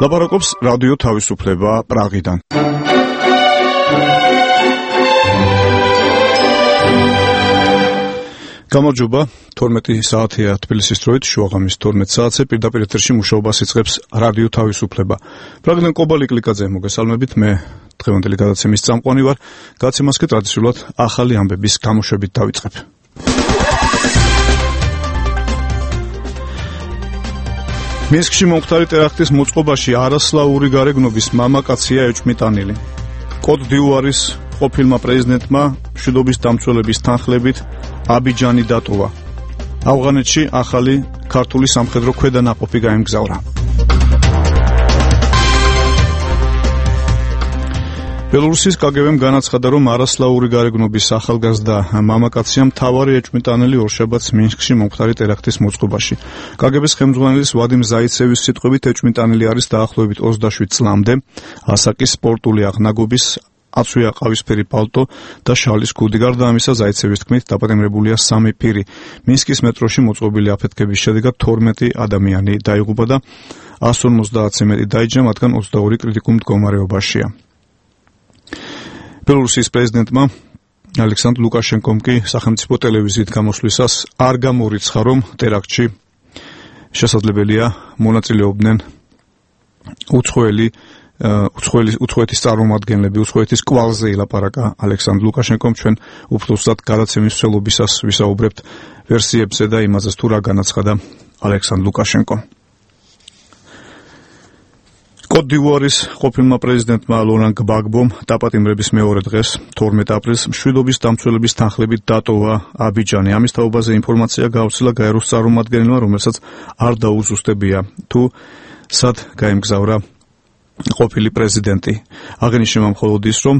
ლაპარაკობს რადიო თავისუფლება პრაღიდან. გამარჯობა, 12 საათია თბილისის დროით, შუაღამის 12 საათზე პირდაპირ ეთერში მუშაობას იწყებს რადიო თავისუფლება. პრაღიდან კობალი კლიკაძე მოგესალმებით, მე დღევანდელი გადაცემის წამყვანი ვარ. გადაცემას კი ტრადიციულად ახალი ამბების გამოშვებით დავიწყებ. მინსკში მომხდარი ტერაქტის მოწყობაში არასლაური გარეგნობის მამაკაცია ეჭვმიტანილი. კოდ დიუარის ყოფილმა პრეზიდენტმა მშვიდობის დამცველების თანხლებით აბიჯანი დატოვა. ავღანეთში ახალი ქართული სამხედრო ქვედანაყოფი გაემგზავრა. ბელორუსის კგბ-მ განაცხადა, რომ არასლაური გარეგნობის ახალგაზრდა მამაკაცია მთავარი ეჭვმიტანილი ორშაბათს მინსკში მომხდარი ტერაქტის მოწყობაში. კგბ-ს ხელმძღვანელის ვადიმ ზაიცევის სიტყვებით ეჭვმიტანილი არის დაახლოებით 27 წლამდე, ასაკის სპორტული აღნაგობის, აცვია ყავისფერი პალტო და შალის ქუდი. გარდა ამისა, ზაიცევის თქმით, დაპატიმრებულია 3 პირი. მინსკის მეტროში მოწყობილი აფეთქების შედეგად 12 ადამიანი დაიღუპა და 150-ზე მეტი დაიჯდა, მათგან 22 კრიტიკულ მდგომარეობაშია. ბელორუსის პრეზიდენტმა ალექსანდრ ლუკაშენკომ კი სახელმწიფო ტელევიზიით გამოსვლისას არ გამორიცხა, რომ ტერაქტში შესაძლებელია მონაწილეობდნენ უცხოეთის წარმომადგენლები. უცხოეთის კვალზე ილაპარაკა ალექსანდრ ლუკაშენკომ. ჩვენ უფროსად გადაცემის მსვლელობისას ვისაუბრებთ ვერსიებზე და იმაზეც თუ რა განაცხადა ალექსანდრ ლუკაშენკომ. კოდ დივუარის ყოფილმა პრეზიდენტმა ლორან გბაგბომ დაპატიმრების მეორე დღეს 12 აპრილს მშვიდობის დამცველების თანხლებით დატოვა აბიჯანი. ამის თაობაზე ინფორმაცია გავრცელა გაეროს წარმომადგენელმა, რომელსაც არ დაუზუსტებია თუ სად გაემგზავრა ყოფილი პრეზიდენტი. აღინიშნება მხოლოდ ის, რომ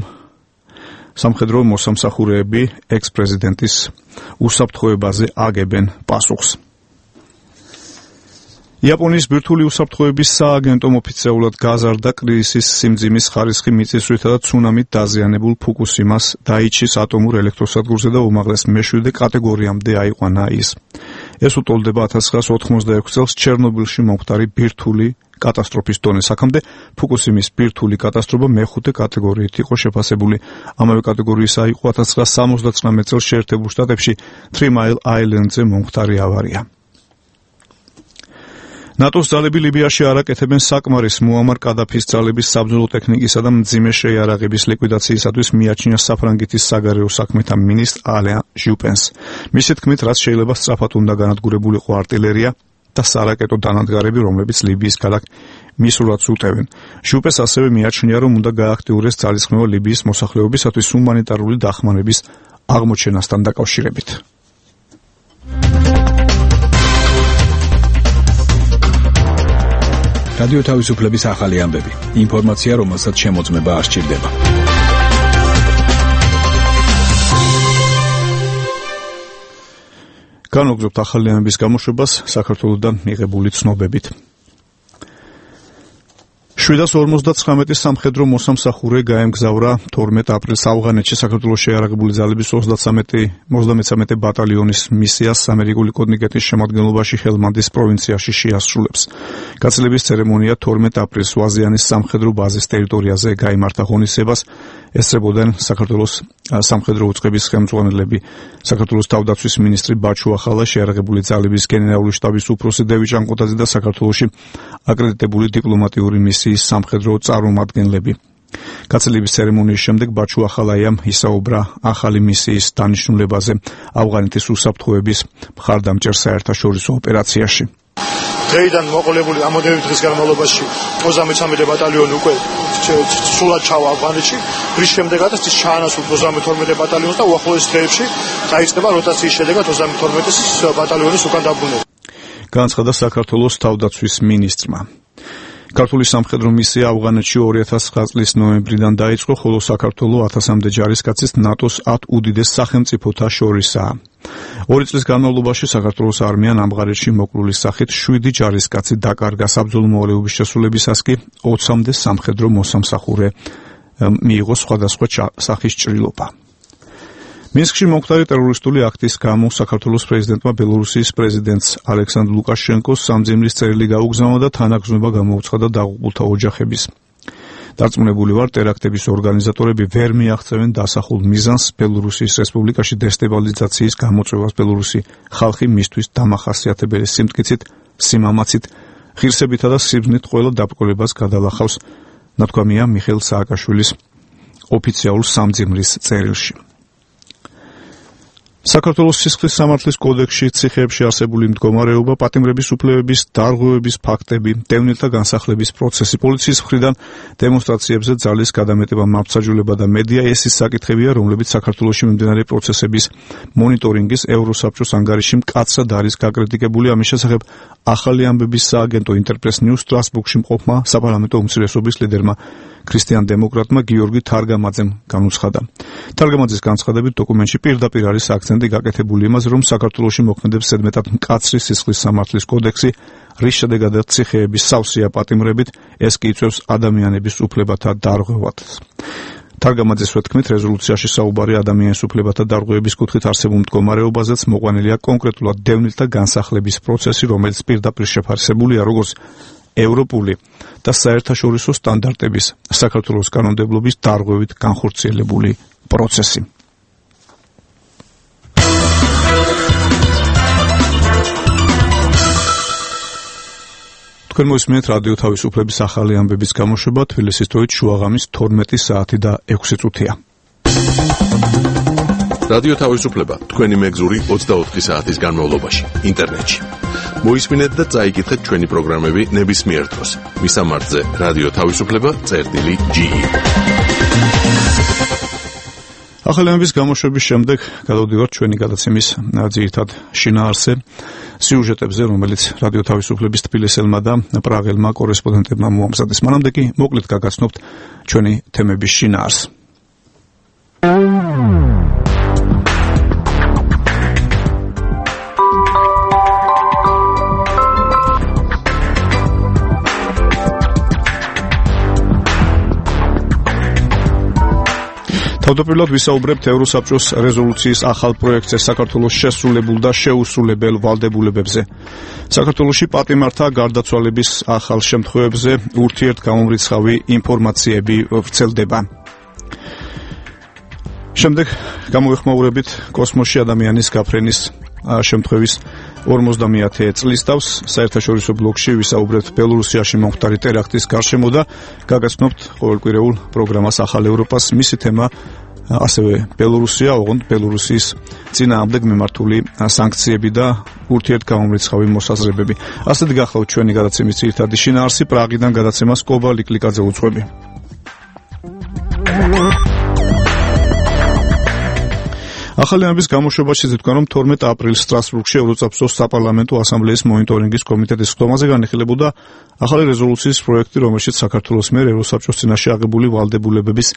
სამხედრო მოსამსახურეები ექს-პრეზიდენტის უსაფრთხოებაზე აგებენ პასუხს. იაპონიის ბირთვული უსაფრთხოების სააგენტომ ოფიციალურად გაზარდა კრიზისის სიმძიმის ხარისხი მიწისძვრითა და ცუნამით დაზიანებულ ფუკუსიმას დაიჩის ატომურ ელექტროსადგურზე და უმაღლეს მე-7 კატეგორიამდე აიყვანა ის. ეს უტოლდება 1986 წელს ჩერნობილში მომხდარი ბირთვული კატასტროფის დონეს. აქამდე ფუკუსიმის ბირთვული კატასტროფა მე-5 კატეგორიით იყო შეფასებული. ამავე კატეგორიისა იყო 1979 წელს შეერთებულ შტატებში 3 Mile Island-ზე მომხდარი ავარია. ნატოს ძალები ლიბიაში არ აკეთებენ საკმარის მუამარ კადაფის ძალების საბრძოლო ტექნიკისა და მძიმე შეიარაღების ლიკვიდაციისათვის მიაჩნია საფრანგეთის საგარეო საქმეთა მინისტრ ალენ ჟუპენს. მისი თქმით, რაც შეიძლება სწრაფად უნდა განადგურებულიყო არტილერია და სარაკეტო დანადგარები, რომლებიც ლიბიის ქალაქ მისურათს უტევენ. ჟუპენს ასევე მიაჩნია, რომ უნდა გააქტიურდეს ძალისხმევა ლიბიის მოსახლეობისათვის ჰუმანიტარული დახმარების აღმოჩენასთან დაკავშირებით. რადიო თავისუფლების ახალი ამბები. ინფორმაცია, რომელსაც შემოწმება არ სჭირდება. განვაგრძობთ ახალი ამბების გამოშვებას საქართველოსთან მიღებული ცნობებით. 759 სამხედრო მოსამსახურე გაემგზავრა 12 აპრილს ავღანეთში საქართველოს შეიარაღებული ძალების 33 ბატალიონის მისიას ამერიკული კონტინგენტის შემადგენლობაში ჰელმანდის პროვინციაში შეასრულებს. გაწლების ცერემონია 12 აპრილს ვაზიანის სამხედრო ბაზის ტერიტორიაზე გაიმართა. ღონისძიებას ესწრებოდნენ საქართველოს სამხედრო უწყების ხელმძღვანელები, საქართველოს თავდაცვის მინისტრი ბაჩუ ახალა, შეიარაღებული ძალების გენერალური შტაბის უფროსი დევიდ ჟანკოტაძე და საქართველოში აკრედიტებული დიპლომატიური მისიის სამხედრო წარმომადგენლები. გაწლების ცერემონიის შემდეგ ბაჩუ ახალაიამ ისაუბრა ახალი მისიის დანიშნულებაზე ავღანეთის უსაფრთხოების მხარდამჭერ საერთაშორისო ოპერაციაში. დღეიდან მოყოლებული ამოდევი დღის განმავლობაში 33 ბატალიონი უკვე სულად ჩავა ავღანეთში. რის შემდეგაც ის ჩაანაცვლეს 32 ბატალიონს და უახლოეს დღეებში დაიწყება როტაციის შედეგად 32 ბატალიონის უკან დაბრუნება. განაცხადა საქართველოს თავდაცვის მინისტრმა. ქართული სამხედრო მისია ავღანეთში 2009 წლის ნოემბრიდან დაიწყო, ხოლო საქართველო 1000-მდე ჯარისკაცის ნატოს 10 უდიდეს სახელმწიფოთა შორისაა. 2 წლის განმავლობაში საქართველოს არმიამ ამღარეთში მოკრულის სახით 7 ჯარისკაცი დაკარგა. საბრძოლო მოვალეობის შესრულებისას კი 20-მდე სამხედრო მოსამსახურე მიიღო სხვადასხვა სახის ჭრილობა. მინსკში მომხდარი ტერორისტული აქტის გამო საქართველოს პრეზიდენტმა ბელორუსიის პრეზიდენტს ალექსანდრ ლუკაშენკოს სამძიმრის წერილი გაუგზავნა და თანაგრძნობა გამოუცხადა დაღუპულთა ოჯახების. დარწმუნებული ვარ, ტერაქტების ორგანიზატორები ვერ მიაღწევენ დასახულ მიზანს ბელორუსიის რესპუბლიკაში დესტაბილიზაციის გამოწვევას. ბელორუსი ხალხი მისთვის დამახასიათებელი სიმტკიცით, სიმამაცით, ღირსებითა და სიბრძნით ყველა დაბრკოლებას გადალახავს, ნათქვამია მიხეილ სააკაშვილის ოფიციალურ სამძიმრის წერილში. საქართველოს სისხლის სამართლის კოდექსში ციხეებში არსებული მდგომარეობა, პატიმრების უფლებების დარღვევების ფაქტები, დევნილთა განსახლების პროცესი, პოლიციის მხრიდან დემონსტრაციებზე ძალის გადამეტება, მართლმსაჯულება და მედია ეს ის საკითხებია, რომლებიც საქართველოში მიმდინარე პროცესების მონიტორინგის ევროსაბჭოს ანგარიში მკაცრად არის გაკრიტიკებული. ამის შესახებ ახალი ამბების სააგენტო ინტერპრეს ნიუს სტრასბურგში მყოფმა საპარლამენტო უმცირესობის ლიდერმა ქრისტიან დემოკრატმა გიორგი თარგამაძემ განუცხადა. თარგამაძის განცხადებით დოკუმენტში პირდაპირ არის აქცენტი გაკეთებული იმაზე, რომ საქართველოში მოქმედებს ზედმეტად მკაცრი სისხლის სამართლის კოდექსი, რის შედეგადაც ციხეების სავსეა პატიმრებით, ეს კი იწვევს ადამიანების უფლებათა დარღვევას. თარგამაძის თქმით, რეზოლუციაში საუბარი ადამიანის უფლებათა დარღვევების კუთხით არსებულ მდგომარეობაზეც მოყვანილია კონკრეტულად დევნილთა განსახლების პროცესი, რომელიც პირდაპირ შეფასებულია როგორც ევროპული და საერთაშორისო სტანდარტების საქართველოს კანონმდებლობის დარღვევით განხორციელებული პროცესი. თქვენ მოისმინეთ რადიო თავისუფლების ახალი ამბების გამოშვება, თბილისის დროით შუაღამის 12 საათი და 6 წუთია. რადიო თავისუფლება თქვენი მეგზური 24 საათის განმავლობაში ინტერნეტში. მოისმინეთ და წაიკითხეთ ჩვენი პროგრამები ნებისმიერ დროს. მისამართზე რადიო თავისუფლება.ge. ახალი ამბების გამოშვების შემდეგ გადავდივართ ჩვენი გადაცემის ძირითად შინაარსზე, სიუჟეტებზე, რომელიც რადიო თავისუფლების თბილისელმა და პრაღელმა კორესპონდენტებმა მოამზადეს. მანამდე კი მოკლედ გაგაცნობთ ჩვენი თემების შინაარსს. თავდაპირველად ვისაუბრებთ ევროსაბჭოს რეზოლუციის ახალ პროექტზე საქართველოს შესრულებულ და შეუსრულებელ ვალდებულებებზე. საქართველოში პატიმართა გარდაცვალების ახალ შემთხვევებზე ურთიერთგამომრიცხავი ინფორმაციები ვრცელდება. შემდეგ გამოვიხმაურებით კოსმოსში ადამიანის გაფრენის შემთხვევის 50-ე წლის თავს. საერთაშორისო ბლოკში ვისაუბრებთ ბელორუსიაში მომხდარი ტერაქტის გარშემო და გაგაცნობთ ყოველკვირეულ პროგრამას ახალ ევროპას. მისი თემა ასევე ბელორუსია, ოღონდ ბელორუსის წინააღმდეგ მიმართული სანქციები და ურთიერთგამომრიცხავი მოსაზრებები. ასეთ გახლავთ ჩვენი გადაცემის ძირითადი შინაარსი. პრაღიდან გადაცემას კობა ლიკლიკაძე უძღვები. ახალი ამბების გამოშვებაში ზეთქვენ, რომ 12 აპრილს სტრასბურგში ევროსაბჭოს საპარლამენტო ასამბლეის მონიტორინგის კომიტეტის ხდომაზე განიხილებოდა ახალი რეზოლუციის პროექტი, რომელშიც საქართველოს მიერ ევროსაბჭოს წინაშე აღებული ვალდებულებების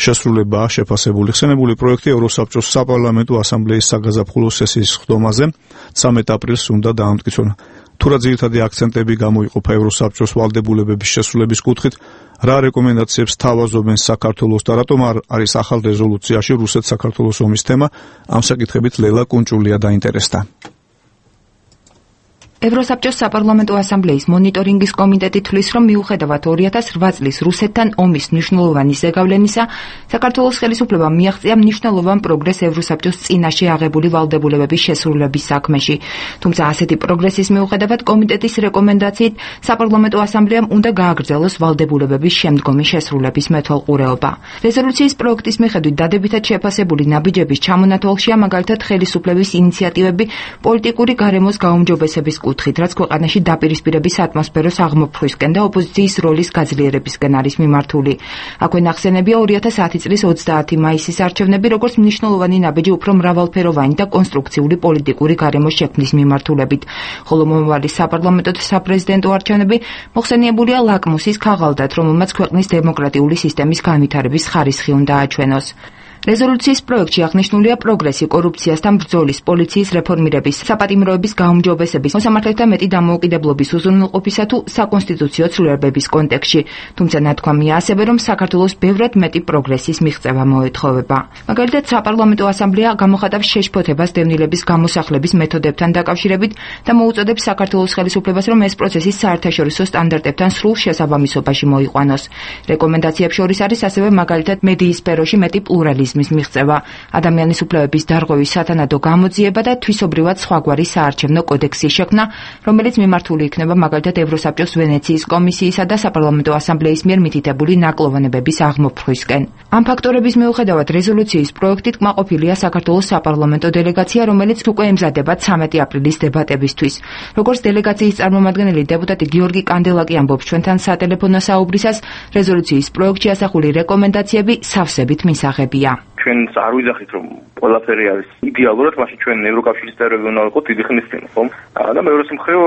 შესრულებაა შეფასებული. ხსენებული პროექტი ევროსაბჭოს საპარლამენტო ასამბლეის საგაზაფხულო სესიის ხდომაზე 13 აპრილს უნდა დაამტკიცონ. თუ რა ძირითადი აქცენტები გამოიყოფა ევროსაბჭოს ვალდებულებების შესრულების კუთხით, რა რეკომენდაციებს თავაზობენ საქართველოს და რატომ არის ახალ რეზოლუციაში რუსეთ-საქართველოს ომის თემა, ამ საკითხებით ლელა კუნჭულია დაინტერესდა. ევროსაბჭოს საპარლამენტო ასამბლეის მონიტორინგის კომიტეტი თვლის, რომ მიუხედავად 2008 წლის რუსეთთან ომის მნიშვნელოვანი ზეგავლენისა, საქართველოს ხელისუფლებამ მიაღწია მნიშვნელოვან პროგრესს ევროსაბჭოს წინაშე აღებული ვალდებულებების შესრულების საქმეში. თუმცა ასეთი პროგრესის მიუხედავად კომიტეტის რეკომენდაციით საპარლამენტო ასამბლეამ უნდა გააგრძელოს ვალდებულებების შემდგომი შესრულების მეთვალყურეობა. რეზოლუციის პროექტის მიხედვით დადებითად შეფასებული ნაბიჯების ჩამონათვალშია მაგალითად ხელისუფლების ინიციატივები პოლიტიკური გარემოს გაუმჯობესების კუთხით, რაც ქვეყანაში დაპირისპირების ატმოსფეროს აღმოფხვისკენ და ოპოზიციის როლის გაძლიერებისკენ არის მიმართული. აქვე ნახსენებია 2010 წლის 30 მაისის არჩევნები, როგორც მნიშვნელოვანი ნაბიჯი უფრო მრავალფეროვანი და კონსტრუქციული პოლიტიკური გარემოს შექმნის მიმართულებით, ხოლო მომავალი საპარლამენტო და საპრეზიდენტო არჩევნები მოხსენიებულია ლაკმუსის ქაღალდად, რომელმაც ქვეყნის დემოკრატიული სისტემის განვითარების ხარისხი უნდა აჩვენოს. რეზოლუციის პროექტში აღნიშნულია პროგრესი, კორუფციასთან ბრძოლის, პოლიციის რეფორმირების, საპატიმროების გაუმჯობესების, მოსამართლეთა მეტი დამოუკიდებლობის უზრუნველყოფისა თუ საკონსტიტუციო ცვლილებების კონტექსტში. თუმცა ნათქვამია ასევე, რომ საქართველოს ბევრად მეტი პროგრესის მიღწევა მოეთხოვება. მაგალითად, საპარლამენტო ასამბლეა გამოხატავს შეშფოთებას დევნილების გამოსახლების მეთოდებთან დაკავშირებით და მოუწოდებს საქართველოს ხელისუფლებას, რომ ეს პროცესი საერთაშორისო სტანდარტებთან სრულ შესაბამისობაში მოიყვანოს. რეკომენდაციებს შორის არის ასევე მაგალითად მედიის სფეროში მეტი პლურალიზმის მიღწევა, ადამიანის უფლებების დარღვევის სათანადო გამოძიება და თვისობრივად სხვაგვარი საარჩევნო კოდექსის შექმნა, რომელიც მიმართული იქნება მაგალითად ევროსაბჭოს ვენეციის კომისიისა და საპარლამენტო ასამბლეის მიერ მითითებული ნაკლოვანებების აღმოფხვისკენ. ამ ფაქტორების მიუხედავად რეზოლუციის პროექტით კმაყოფილია საქართველოს საპარლამენტო დელეგაცია, რომელიც უკვე ემზადება 13 აპრილის დებატებისთვის. როგორც დელეგაციის წარმომადგენელი დეპუტატი გიორგი კანდელაკი ამბობს ჩვენთან სატელეფონო საუბრისას, რეზოლუციის პროექტში ასახული რეკომენდაციები სავსებით მისაღებია. ჩვენ არ ვიძახით, რომ ყველაფერი არის იდეალურად, მაშინ ჩვენ ევროკავშირის წევრები უნდა ვიყოთ დიდი ხნის წინ, ხომ? და მეორე მხრივ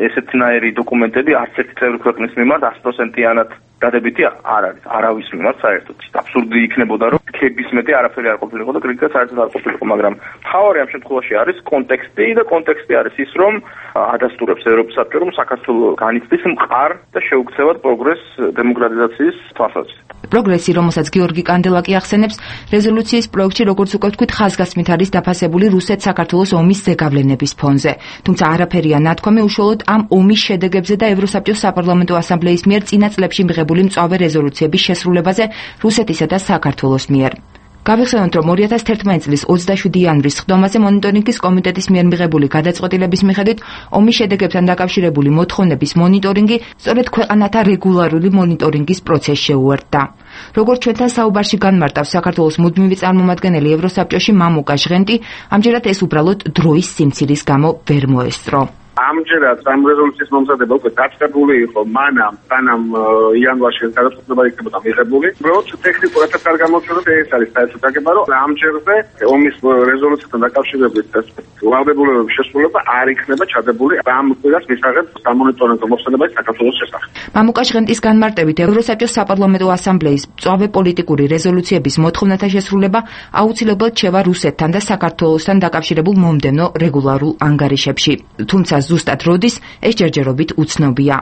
ესეთნაირი დოკუმენტები არც ერთი წევრი ქვეყნის მიმართ 100%-იანად დადებითი არ არის, არავის მიმართ საერთოდ. აბსურდი იქნებოდა, რომ ქების მეტი არაფერი არ ყოფილიყო და კრიტიკა საერთოდ არ ყოფილიყო, მაგრამ მთავარი ამ შემთხვევაში არის კონტექსტი და კონტექსტი არის ის, რომ ადასტურებს ევროპის საბჭო, რომ საქართველოს განიცდის მყარ და შეუქცევად პროგრესს დემოკრატიზაციის თვალსაზრისით. პროგრესი, რომელსაც გიორგი კანდელაკი ახსენებს, რეზოლუციის პროექტში, როგორც უკვე ვთქვით, ხაზგასმით არის დაფასებული რუსეთ-საქართველოს ომის ზეგავლენების ფონზე. თუმცა არაფერია ნათქვამი უშუალოდ ამ ომის შედეგებზე და ევროსაბჭოს საპარლამენტო ასამბლეის მიერ წინა წლებში მიღებული მწვავე რეზოლუციების შესრულებაზე რუსეთისა და საქართველოს მიერ. გავიხსენოთ, რომ 2011 წლის 27 იანვრის სხდომაზე მონიტორინგის კომიტეტის მიერ მიღებული გადაწყვეტილების მიხედვით ომის შედეგებთან დაკავშირებული მოთხოვნების მონიტორინგი სწორედ ქვეყანათა რეგულარული მონიტორინგის პროცესს შეუერთდა. როგორც ჩვენთან საუბარში განმარტავს საქართველოს მუდმივი წარმომადგენელი ევროსაბჭოში მამუკა ჟღენტი, ამჯერად ეს უბრალოდ დროის სიმცირის გამო ვერ მოესწრო. ამჯერად ამ რეზოლუციის მომზადება უკვე დაწყებული იყო მანამ, სანამ იანვარში გადაწყვეტილება იქნებოდა მიღებული. უბრალოდ ტექნიკურად არ გამოჩნდა ეს არის საერთოდ გაგება, რომ ამჯერზე ომის რეზოლუციასთან დაკავშირებით ვალდებულებების შესრულება არ იქნება ჩადებული ამ კვირას მისაღებ სამონიტორინგო მოხსენებაში საქართველოს შესახებ. მამუკა ჟღენტის განმარტებით, ევროსაბჭოს საპარლამენტო ასამბლეის მწვავე პოლიტიკური რეზოლუციების მოთხოვნათა შესრულება აუცილებლად შევა რუსეთთან და საქართველოსთან დაკავშირებულ მომდევნო რეგულარულ ანგარიშებში. თუმცა ზუსტად როდის ეს ჯერჯერობით უცნობია.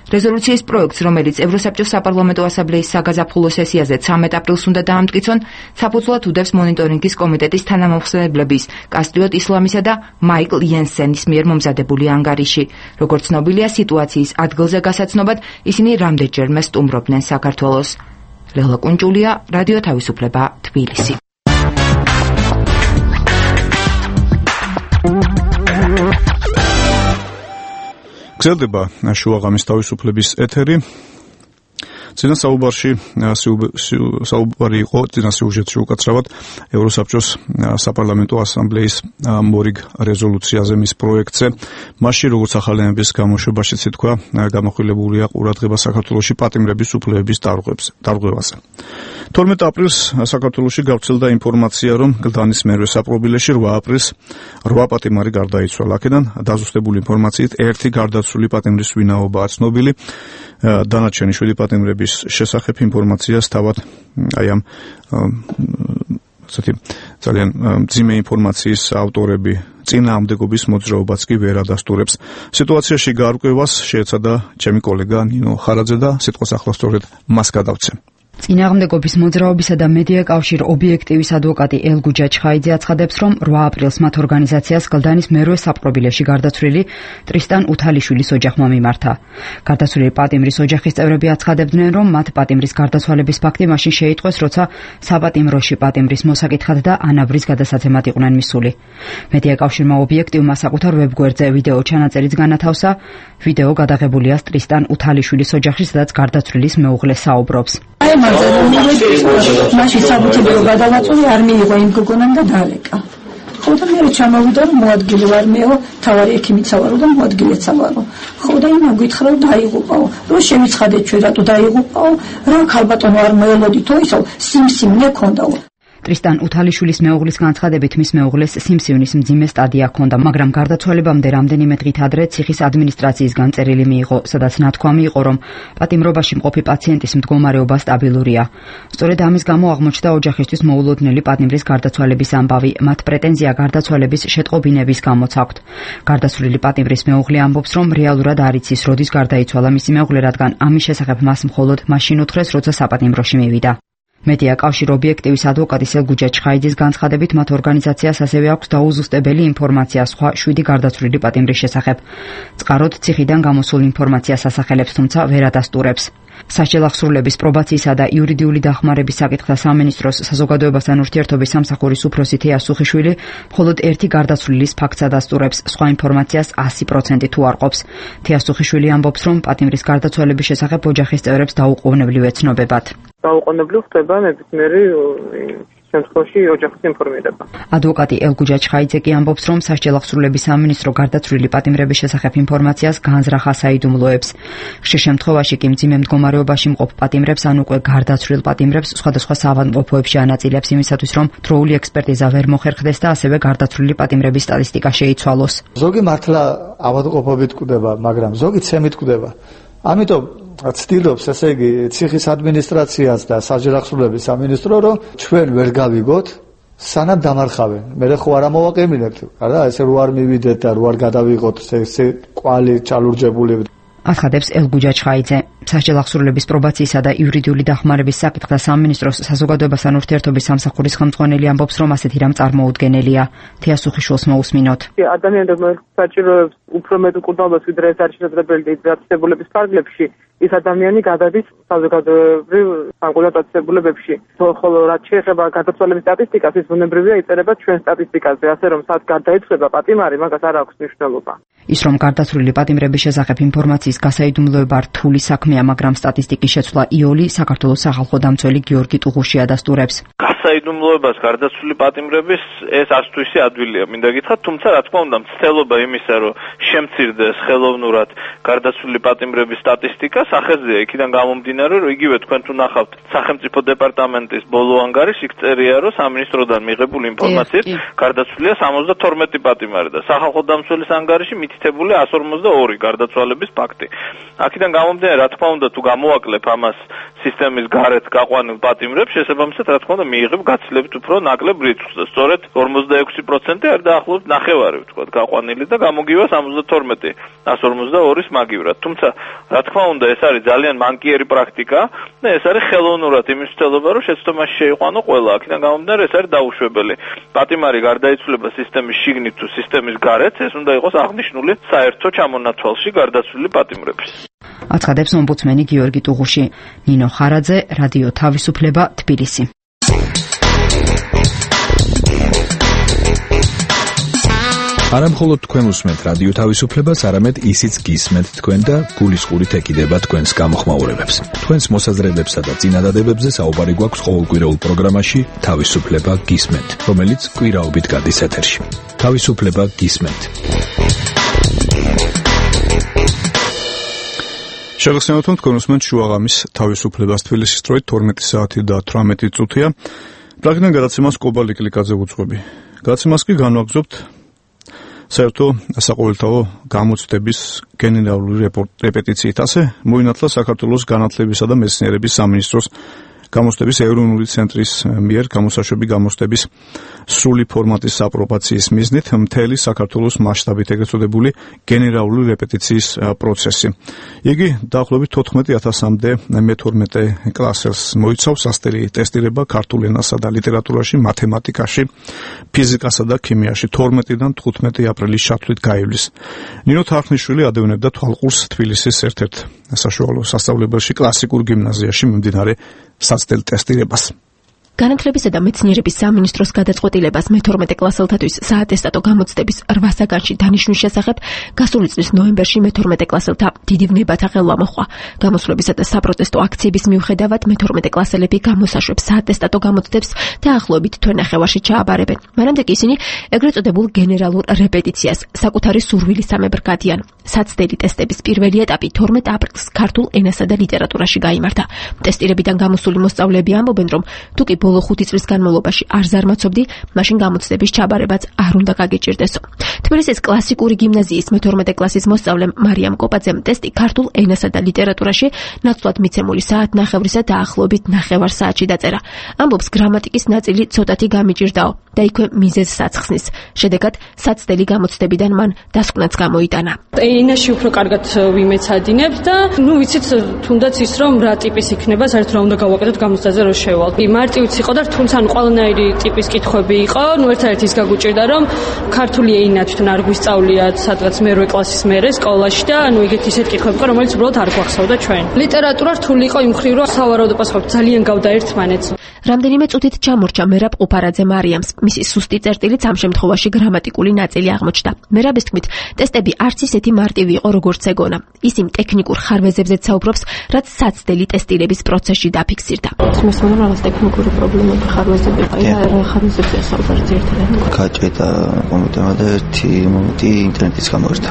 რეზოლუციის პროექტს, რომელიც ევროსაბჭოს საპარლამენტო ასამბლეის საგაზაფხულო სესიაზე 13 აპრილს უნდა დაამტკიცონ, საფუძვლად უდევს მონიტორინგის კომიტეტის თანამომხსენებლების კასტიოტ ისლამისა და მაიკლ იენსენის მიერ მომზადებული ანგარიში. როგორც ცნობილია, სიტუაციის ადგილზე გასაცნობად ისინი რამდენჯერმე სტუმრობდნენ საქართველოს. ლელა კუნჭულია, რადიო თავისუფლება, თბილისი. გრძელდება შუაღამის თავისუფლების ეთერი. წინა საუბარი იყო წინა სიუჟეტში უკაცრავად ევროსაბჭოს საპარლამენტო ასამბლეის მორიგ რეზოლუციაზე მის პროექტზე. მასში, როგორც ახალი ამბების გამოშვებაშიც ითქვა, გამოხილებულია ყურადღება საქართველოში პატიმრების უფლებების დარღვევაზე. 12 აპრილს საქართველოში გავრცელდა ინფორმაცია, რომ გლდანის მერვე საპყრობილეში 8 აპრილს 8 პატიმარი გარდაიცვალა. აქედან დაზუსტებული ინფორმაციით ერთი გარდაცვლილი პატიმრის ვინაობაა ცნობილი. დანარჩენი 7 პატიმრების შესახებ ინფორმაციას თავად ამ ძალიან მძიმე ინფორმაციის ავტორები წინააღმდეგობის მოძრაობაც კი ვერ ადასტურებს. სიტუაციაში გარკვევას შეეცადა ჩემი კოლეგა ნინო ხარაძე და სიტყვას ახლა სწორედ მას გადავცემ. წინააღმდეგობის მოძრაობისა და მედია კავშირ ობიექტივის ადვოკატი ელგუჯა ჩხაიძე აცხადებს, რომ 8 აპრილს მათ ორგანიზაციას გლდანის მერვე საპყრობილეში გარდაცვლილი ტრისტან უთალიშვილის ოჯახმა მიმართა. გარდაცვლილი პატიმრის ოჯახის წევრები აცხადებდნენ, რომ მათ პატიმრის გარდაცვალების ფაქტი მაშინ შეიტყვეს, როცა საპატიმროში პატიმრის მოსაკითხად და ანაბრის გადასაცემად იყვნენ მისული. მედია კავშირმა ობიექტივმა საკუთარ ვებგვერდზე ვიდეო ჩანაწერიც განათავსა. ვიდეო გადაღებულია ტრისტან უთალიშვილის ოჯახში, სადაც გარდაცვლილის მეუღლე საუბრობს. მაშინ საბუთებრივ გადავაწყვეტი არ მიიღო იმ გოგონამ და დაალეკა. ხო და მე ჩამოვიდა რომ მოადგილე ვარ მეო, თავარი ექიმიცა ვარო და მოადგილეცა ვარო. ხო და იმან გითხრა რომ დაიღუპაო. რომ შემიცხადეთ ჩვენ რატო დაიღუპაო? რა ქალბატონო არ მოელოდითო ისო სიმსივნე ქონდაო. ტრისტან უთალიშვილის მეუღლის განცხადებით მის მეუღლეს სიმსივნის მძიმე სტადია ჰქონდა, მაგრამ გარდაცვალებამდე რამდენიმე დღით ადრე ციხის ადმინისტრაციისგან წერილი მიიღო, სადაც ნათქვამი იყო, რომ პატიმრობაში მყოფი პაციენტის მდგომარეობა სტაბილურია. სწორედ ამის გამო აღმოჩნდა ოჯახისთვის მოულოდნელი პატიმრის გარდაცვალების ამბავი. მათ პრეტენზია გარდაცვალების შეტყობინების გამოც აქვთ. გარდაცვლილი პატიმრის მეუღლე ამბობს, რომ რეალურად არ იცის, როდის გარდაიცვალა მისი მეუღლე, რადგან ამის შესახებ მას მხოლოდ მაშინ უთხრეს, როცა საპატიმროში მივიდა. მედია კავშირ ობიექტივის ადვოკატის ელგუჯა ჩხაიძის განცხადებით, მათ ორგანიზაციას ასევე აქვს დაუზუსტებელი ინფორმაცია სხვა 7 გარდაცვლილი პატიმრის შესახებ. წყაროდ ციხიდან გამოსულ ინფორმაციას ასახელებს, თუმცა ვერ ადასტურებს. სასჯელახსრულების პრობაციისა და იურიდიული დახმარების საკითხთა სამინისტროს საზოგადოებასთან ურთიერთობის სამსახურის უფროსი თეა სუხიშვილი მხოლოდ ერთი გარდაცვლილის ფაქტს ადასტურებს, სხვა ინფორმაციას 100% თუ არ ყოფს. თეა სუხიშვილი ამბობს, რომ პატიმრის გარდაცვალების შესახებ ოჯახის წევრებს დაუყოვნებლივ ეცნობებათ. დაუყოვნებლივ ხდება ნებისმიერი შემთხვევაში ოჯახის ინფორმირება. ადვოკატი ელგუჯა ჩხაიძე კი ამბობს, რომ სასჯელახსრულების სამინისტრო გარდაცვლილი პატიმრების შესახებ ინფორმაციას განზრახა საიდუმლოებს. ხშირ შემთხვევაში კი მძიმე მდგომარეობაში მყოფ პატიმრებს ან უკვე გარდაცვლილ პატიმრებს სხვადასხვა საავადმყოფოებში ანაწილებს იმისათვის, რომ დროული ექსპერტიზა ვერ მოხერხდეს და ასევე გარდაცვლილი პატიმრების სტატისტიკა შეიცვალოს. ზოგი მართლა ავადმყოფობით კვდება, მაგრამ ზოგი ცემით კვდება. ამიტომ ცდილობს, ესე იგი, ციხის ადმინისტრაციას და სასჯელახსრულების სამინისტრო, რომ ჩვენ ვერ გავიგოთ, სანამ დამარხავენ. მე ხო არ ამოვაყენებთ, არა, ესე რო არ მივიდეთ და რო არ გადავიღოთ ესე კვალი ჩალურჯებული. აცხადებს ელგუჯა ჩხაიძე. სასჯელახსრულების პრობაციისა და იურიდიული დახმარების საკითხთა სამინისტროს საზოგადოებასთან ურთიერთობის სამსახურის ხელმძღვანელი ამბობს, რომ ასეთი რამ წარმოუდგენელია. თეა სუხიშვილს მოусმინოთ. ადამიანებმა საჭიროებს უფრო მეტ მკურნალობას, ვიდრე ეს არის შესაძლებელი დაწესებულების ფარგლებში. ის ადამიანი გადადის საზოგადოებრივ სამკურნალო დაწესებულებებში. ხოლო რაც შეეხება გარდაცვალების სტატისტიკას, ის ბუნებრივია იწერება ჩვენ სტატისტიკაზე, ასე რომ სად გარდაიცვალა პატიმარი, მაგას არ აქვს მნიშვნელობა. ის რომ გარდაცვლილი პატიმრების შესახებ ინფორმაციის გასაიდუმლოება რთული საქმეა, მაგრამ სტატისტიკის შეცვლა იოლი საქართველოს სახალხო დამცველი გიორგი ტუღუში ადასტურებს. გასაიდუმლოებას გარდაცვლილი პატიმრების ეს არც თუ ისე ადვილია, მინდა გითხრათ, თუმცა რა თქმა უნდა, მცდელობა იმისა, რომ შემცირდეს ხელოვნურად გარდაცვლილი პატიმრების სტატისტიკა სახეზეა, იქიდან გამომდინარე, რომ იგივე თქვენ თუ ნახავთ სახელმწიფო დეპარტამენტის ბოლო ანგარიშს, იქ წერია, რომ სამინისტროდან მიღებული ინფორმაციით გარდაცვლილია 72 პატიმარი და სახალხო დამცველის ანგარიში მითითებული 152 გარდაცვალების ფაქტი. აქედან გამომდინარე, რა თქმა უნდა, თუ გამოვაკლებ ამას სისტემის გარეთ გაყვანილ პატიმრებს, შესაბამისად, რა თქმა უნდა, მიიღებ გაცილებით უფრო ნაკლებ რიცხვს და სწორედ 46% არ დაახლოებით ნახევარი, ვთქვათ, გაყვანილი და გამოგივა 72, 152-ის მაგივრად. თუმცა, რა თქმა უნდა, ეს არის ძალიან მანკიერი პრაქტიკა და ეს არის ხელოვნურად იმის მცდელობა, რომ შეცდომაში შეიყვანო ყველა. აქედან გამომდინარე, ეს არის დაუშვებელი. პატიმარი გარდაიცვლება სისტემის შიგნით თუ სისტემის გარეთ, ეს უნდა იყოს აღნიშნული საერთო ჩამონათვალში გარდაცვლილი პატიმრების. აცხადებს ომბუდსმენი გიორგი ტუღუში. ნინო ხარაძე, რადიო თავისუფლება, თბილისი. არამხოლოდ თქვენ უსმენთ რადიო თავისუფლებას, არამედ ისიც გისმენთ თქვენ და გულისყურით ეკიდება თქვენს გამოხმაურებებს. თქვენს მოსაზრებებსა და წინადადებებზე საუბარი გვაქვს ყოველკვირეულ პროგრამაში თავისუფლება გისმენთ, რომელიც კვირაობით გადის ეთერში. თავისუფლება გისმენთ. შეგახსენებთ, თქვენ უსმენთ შუაღამის თავისუფლებას თბილისის დროით 12 საათი და 18 წუთია. პრაგმატიდან გადაცემას კობალ იკლიკაძე უძღვები. გადაცემას კი განვაგრძობთ საერთო საყოველთაო გამოცდების გენერალური რეპეტიციით. ასე მოინათლა საქართველოს განათლებისა და მეცნიერების სამინისტროს გამოცდების ეროვნული ცენტრის მიერ გამოსაშვები გამოცდების სრული ფორმატის აპრობაციის მიზნით მთელი საქართველოს მასშტაბით ეგრეთ წოდებული გენერალური რეპეტიციის პროცესი. იგი დაახლოებით 14,000-მდე მე-12 კლასელს მოიცავს. სასტელი ტესტირება ქართულ ენასა და ლიტერატურაში, მათემატიკაში, ფიზიკასა და ქიმიაში 12-დან 15 აპრილის ჩათვლით გაივლის. ნინო თარხნიშვილი ადევნებდა თვალყურს თბილისის ერთ-ერთ საშუალო სასწავლებელში კლასიკურ გიმნაზიაში მიმდინარე სასტელ ტესტირებას. განათლებისა და მეცნიერების სამინისტროს გადაწყვეტილებას მე-12 კლასელთათვის საატესტატო გამოცდების 8 საგანში დანიშვნის შესახებ გასული წლის ნოემბერში მე-12 კლასელთა დიდი ვნებათა ხელვა მოჰყვა. გამოსვლებისა და საპროტესტო აქციების მიუხედავად მე-12 კლასელები გამოსაშვებს საატესტატო გამოცდებს დაახლოებით თვენახევარში ჩააბარებენ. მანამდე კი ისინი ეგრეთ წოდებულ გენერალურ რეპეტიციას საკუთარი სურვილისამებრ გადიან. საცდელი ტესტების პირველი ეტაპი 12 aprilს ქართულ ენასა და ლიტერატურაში გაიმართა. ტესტირებიდან გამოსული მოსწავლეები ამბობენ, რომ თუკი ბოლო 5 წლის განმავლობაში არ ზარმაცობდი, მაშინ გამოცდების ჩაბარებაც არ უნდა გაგიჭირდესო. თბილისის კლასიკური გიმნაზიის მე-12 კლასის მოსწავლემ მარიამ კოპაძემ ტესტი ქართულ ენასა და ლიტერატურაში ნაცვლად მიცემული საათნახევრისა დაახლოებით 9 საათში დაწერა. ამბობს, გრამატიკის ნაწილი ცოტათი გამიჭირდაო და იქვე მიზეზს აცხსნის. შედეგად, საცდელი გამოცდებიდან მან დასკვნაც გამოიტანა. ენაში უფრო კარგად ვიმეცადინებ და ვიცით თუნდაც ის რომ რა ტიპის იქნება, საერთოდ რა უნდა გავაკეთოთ გამოცდაზე რომ შევალ. მარტივიც იყო და თუმცა ყველანაირი ტიპის კითხვები იყო, ერთადერთი ის გაგუჭირდა რომ ქართული ენა თვითონ არ გვისწავლიათ სადღაც მე-8 კლასის მერე სკოლაში და ეგეთი ისეთ კითხვები იყო, რომელიც უბრალოდ არ გვახსოვდა ჩვენ. ლიტერატურა რთული იყო იმ მხრივ, რომ სავარაუდო პასუხები ძალიან გავდა ერთმანეთს. რამდენიმე წუთით ჩამორჩა მერაბ ყუფარაძე მარიამს. მისი სუსტი წერტილიც ამ შემთხვევაში გრამატიკული ნაწილი აღმოჩნდა. მერაბის თქმით, ტესტები არც ისეთი მარტივი იყო, როგორც ეგონა. ის იმ ტექნიკურ ხარვეზებზეც საუბრობს, რაც საცდელი ტესტირების პროცესში დაფიქსირდა. მე სულ რაღაც ტექნიკური პრობლემები ხარვეზები ყია, რა ხარვეზებია საუბარი ერთადერთი. გაჭედა მომენტმა და ერთი მომენტი ინტერნეტის გამოვიდა.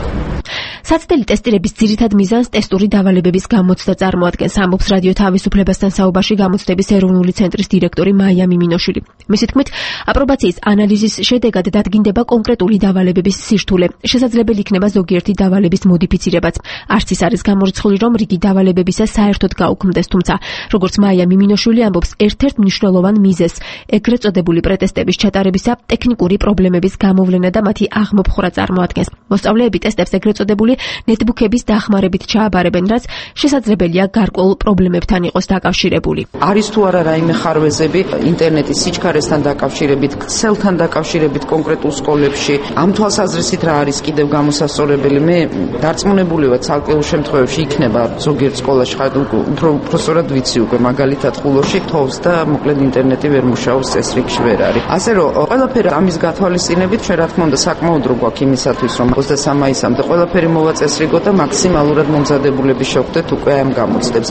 საცდელი ტესტირების ძირითად მიზანს ტესტური დავალებების გამოცდა წარმოადგენს, ამბობს რადიო თავისუფლებასთან საუბარში გამოცდების ეროვნული ცენტრის დირექტორი მაია მიმინოშვილი. მისი თქმით, აპრობაციის ანალიზის შედეგად დადგინდება კონკრეტული დავალებების სირთულე. შესაძლებელი იქნება ზოგიერთი დავალების მოდიფიცირებაც. არც ის არის გამორიცხული, რომ რიგი დავალებებისა საერთოდ გაუქმდეს, თუმცა, როგორც მაია მიმინოშვილი ამბობს, ერთ-ერთ მნიშვნელოვან მიზეზს ეგრეთ წოდებული პრეტესტების ჩატარებისა ტექნიკური პრობლემების გამოვლენა და მათი აღმოფხვრა წარმოადგენს. მოსწავლეები ტესტებს ეგრეთ წოდებული ნეტბუქების დახმარებით ჩააბარებენ, რაც შესაძლებელია გარკვეულ პრობლემებთან იყოს დაკავშირებული. არის თუ არა რაიმე ხარვეზები ინტერნეტის სიჩქარესთან დაკავშირებით, ქსელთან დაკავშირებით კონკრეტულ სკოლებში, ამ თვალსაზრისით რა არის კიდევ გამოსასწორებელი? მე დარწმუნებული ვარ, ცალკეულ შემთხვევებში იქნება ზოგიერთ სკოლაში უფრო სწორად ვიცი უკვე, მაგალითად ხულოში თოვს და მოკლედ ინტერნეტი ვერ მუშაობს, წესრიგში ვერ არის. ასე რომ ყველაფერი ამის გათვალისწინებით, რა თქმა უნდა, საკმაოდ რო გვაქვს იმისათვის, რომ 23 მაისამდე ყველაფერი მოვაწესრიგოთ და მაქსიმალურად მომზადებულები შევხვდეთ უკვე ამ გამოცდებს.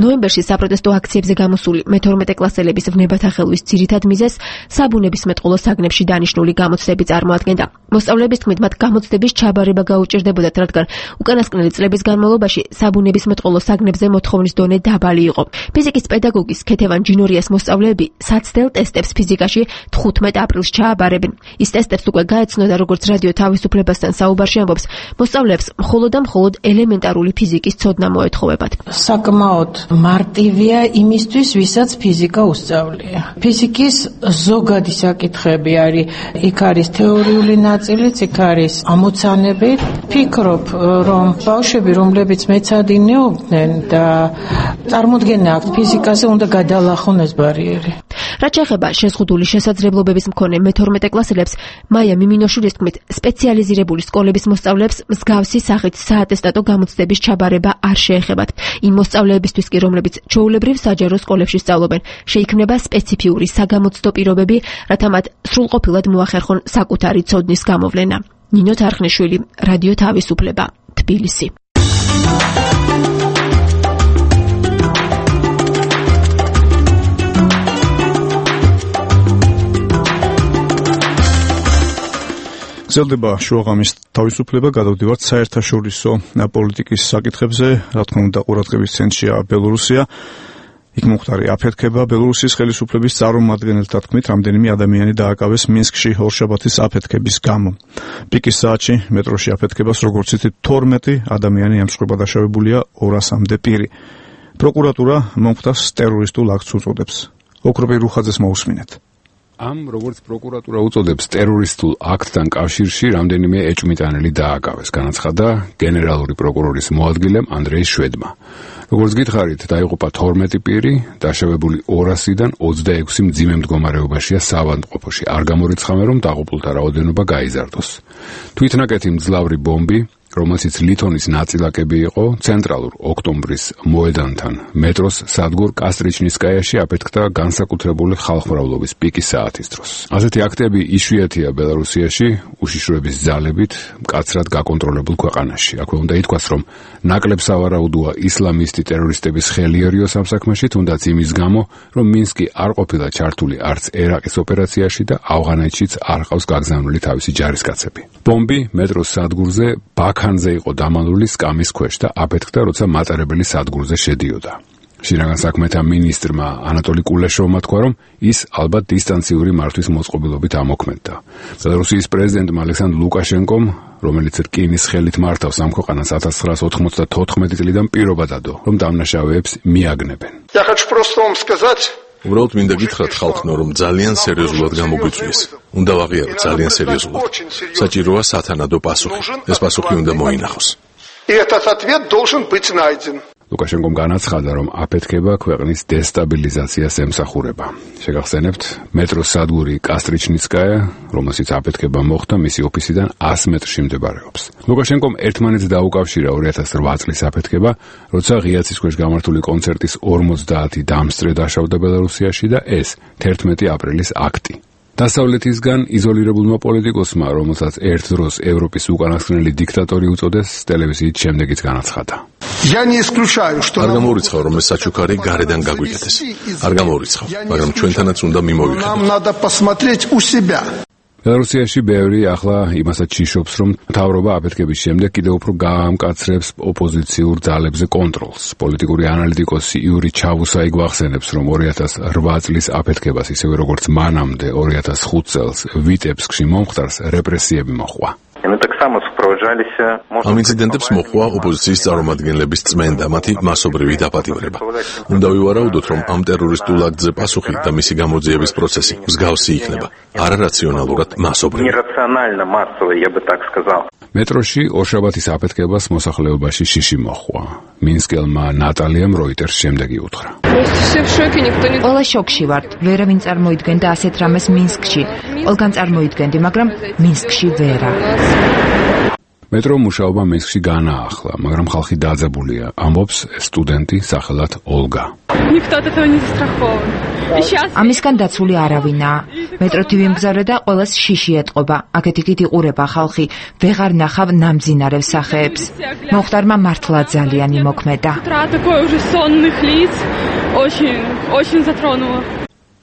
ნოემბერში საპროტესტო აქციებზე გამოსული მე-12 კლასელების ვნებათა ხელვის ძირითად მიზეზს საბუნებისმეტყველო საგნებში დანიშნული გამოცდები წარმოადგენდა. მოსწავლეების თქმით, მათ გამოცდების ჩაბარება გაუჭირდებოდათ, რადგან უკანასკნელი წლების განმავლობაში საბუნებისმეტყველო საგნებზე მოთხოვნის დონე დაბალი იყო. ფიზიკის პედაგოგის ქეთევან ჯინორიას მოსწავლეები საცდელ ტესტებს ფიზიკაში 15 აპრილს ჩააბარებენ. ის ტესტებს უკვე გაეცნოდა, როგორც რადიო თავისუფლებასთან საუბარში ამბობს, მოსწავლეებს მხოლოდ და მხოლოდ ელემენტარული ფიზიკის ცოდნა მოეთხოვებათ. საკმაოდ მარტივია იმისთვის, ვისაც ფიზიკა უსწავლია. ფიზიკის ზოგადი საკითხები არის, იქ არის თეორიული ნაწილიც, იქ არის ამოცანები. ფიქრობ, რომ ბავშვები, რომლებიც მეცადინეობდნენ და წარმოდგენა აქვთ ფიზიკაზე, უნდა გადალახონ ეს ბარიერი. რაც შეეხება შეზღუდული შესაძლებლობების მქონე მე-12 კლასელებს, მაია მიმინოშვილის თქმით, სპეციალიზირებული სკოლების მოსწავლეებს მსგავსი სახით საატესტატო გამოცდების ჩაბარება არ შეეხებათ. იმ მოსწავლეებისთვის კი, რომლებიც ჩვეულებრივ საჯარო სკოლებში სწავლობენ, შეიქმნება სპეციფიური საგამოცდო პირობები, რათა მათ სრულყოფილად მოახერხონ საკუთარი ცოდნის გამოვლენა. ნინო თარხნიშვილი, რადიო თავისუფლება, თბილისი. გრძელდება შუაღამის თავისუფლება, გადავდივართ საერთაშორისო პოლიტიკის საკითხებზე, რა თქმა უნდა, ყურადღების ცენტრშია ბელორუსია. იქ მომხდარი აფეთქება. ბელორუსის ხელისუფლების წარმომადგენელთა თქმით, რამდენიმე ადამიანი დააკავეს მინსკში ორშაბათის აფეთქების გამო. პიკის საათში მეტროში აფეთქებას, როგორც იცით, 12 ადამიანი ემსხვერპლად დაშავებულია, 200-მდე პირი. პროკურატურა მომხდარს ტერორისტულ აქტს უწოდებს. ოქროპი რუხაძეს მოусმინეთ. ამ როგორც პროკურატურა უწოდებს ტერორისტულ აქტთან კავშირში რამდენიმე ეჭვმიტანელი დააკავეს, განაცხადა გენერალური პროკურორის მოადგილემ ანდრეი შვედმა. როგორც გითხარით, დაიღუპა 12 პირი, დაშავებული 200-დან 26 მძიმე მდგომარეობაშია საავადმყოფოში. არ გამორიცხავენ, რომ დაღუპულთა რაოდენობა გაიზარდოს. თვითნაკეთი მძლავრი ბომბი, რომელშიც ლითონის ნაწილაკები იყო, ცენტრალურ ოქტომბრის მოედანთან მეტროს სადგურ კასტრიჩნისკაიაში აფეთქდა განსაკუთრებული ხალხმრავლობის პიკის საათის დროს. ასეთი აქტები იშვიათია ბელარუსიაში, უშიშროების ძალებით მკაცრად გაკონტროლებულ ქვეყანაში. აქვე უნდა ითქვას, რომ ნაკლებ სავარაუდოა ისლამისტი ტერორისტების ხელი ერიოს ამ საქმეში, თუნდაც იმის გამო, რომ მინსკი არ ყოფილა ჩართული არც ერაყის ოპერაციაში და ავღანეთშიც არ ყავს გაგზავნილი თავისი ჯარისკაცები. ბომბი მეტროს სადგურზე ბაქანზე იყო დამალული სკამის ქვეშ და აფეთქდა, როცა მატარებელი სადგურზე შედიოდა. შინაგან საქმეთა მინისტრმა ანატოლი კულეშოვმა თქვა, რომ ის ალბათ დისტანციური მართვის მოწყობილობით ამოქმედდა. ბელარუსიის პრეზიდენტმა ალექსანდრ ლუკაშენკომ, რომელიც რკინის ხელით მართავს ამ ქვეყანას 1994 წლიდან პირობა დადო, რომ დამნაშავეებს მიაგნებენ. Я хочу просто вам сказать, უბრალოდ მინდა გითხრათ ხალხნო, რომ ძალიან სერიოზულად გამოგვიწვიეს. უნდა ვაღიარო ძალიან სერიოზულად. საჭიროა სათანადო პასუხი. ეს პასუხი უნდა მოინახოს. И этот ответ должен быть найден. ლუკაშენკომ განაცხადა, რომ აფეთქება ქვეყნის დესტაბილიზაციას ემსახურება. შეგახსენებთ, მეტროს სადგური კასტრიჩნიცკაია, რომელშიც აფეთქება მოხდა, მისი ოფისიდან 100 მეტრში მდებარეობს. ლუკაშენკომ ერთმანეთს დაუკავშირა 2008 წლის აფეთქება, როცა ღია ცის ქვეშ გამართული კონცერტის 50 დამსწრე დაშავდა ბელარუსიაში და ეს 11 აპრილის აქტი. დასავლეთისგან იზოლირებულმა პოლიტიკოსმა, რომელსაც ერთ დროს ევროპის უკანასკნელი დიქტატორი უწოდეს, ტელევიზიით შემდეგიც განაცხადა. Я не исключаю, что არ გამორიცხავ, რომ ეს საჩუქარი გარედან გაგვიკეთეს. არ გამორიცხავ, მაგრამ ჩვენთანაც უნდა მიმოვიხედოთ. Нам надо посмотреть у себя. ბელარუსიაში ბევრი ახლა იმასაც ჭიშობს, რომ მთავრობა აფეთქების შემდეგ კიდევ უფრო გაამკაცრებს ოპოზიციურ ძალებზე კონტროლს. პოლიტიკური ანალიტიკოსი იური ჩავუსაი გვახსენებს, რომ 2008 წლის აფეთქებას, ისევე როგორც მანამდე 2005 წელს ვიტებსკში მომხდარს რეპრესიები მოჰყვა. ამ ინციდენტებს მოჰყვა ოპოზიციის წარმომადგენლების წმენდა, მათი მასობრივი დაპატიმრება. უნდა ვივარაუდოთ, რომ ამ ტერორისტულ აქტზე პასუხი და მისი გამოძიების პროცესი მსგავსი იქნება, არარაციონალურად მასობრივი. მეტროში ორშაბათის აფეთქებას მოსახლეობაში შიში მოჰყვა. მინსკელმა ნატალიამ როიტერს შემდეგი უთხრა. ყველა შოკში ვართ. ვერავინ წარმოიდგენდა ასეთ რამეს მინსკში. ყველგან წარმოიდგენდი, მაგრამ მინსკში ვერა. მეტრო მუშაობა მინსკში განაახლა, მაგრამ ხალხი დაძაბულია, ამბობს სტუდენტი სახელად ოლგა. ამისგან დაცული არავინაა. მეტრო თივი მგზავრე და ყველას შიში ეტყობა. აქეთ-იქით იყურება ხალხი, ვეღარ ნახავ ნამძინარევ სახეებს. მოხდარმა მართლა ძალიან იმოქმედა.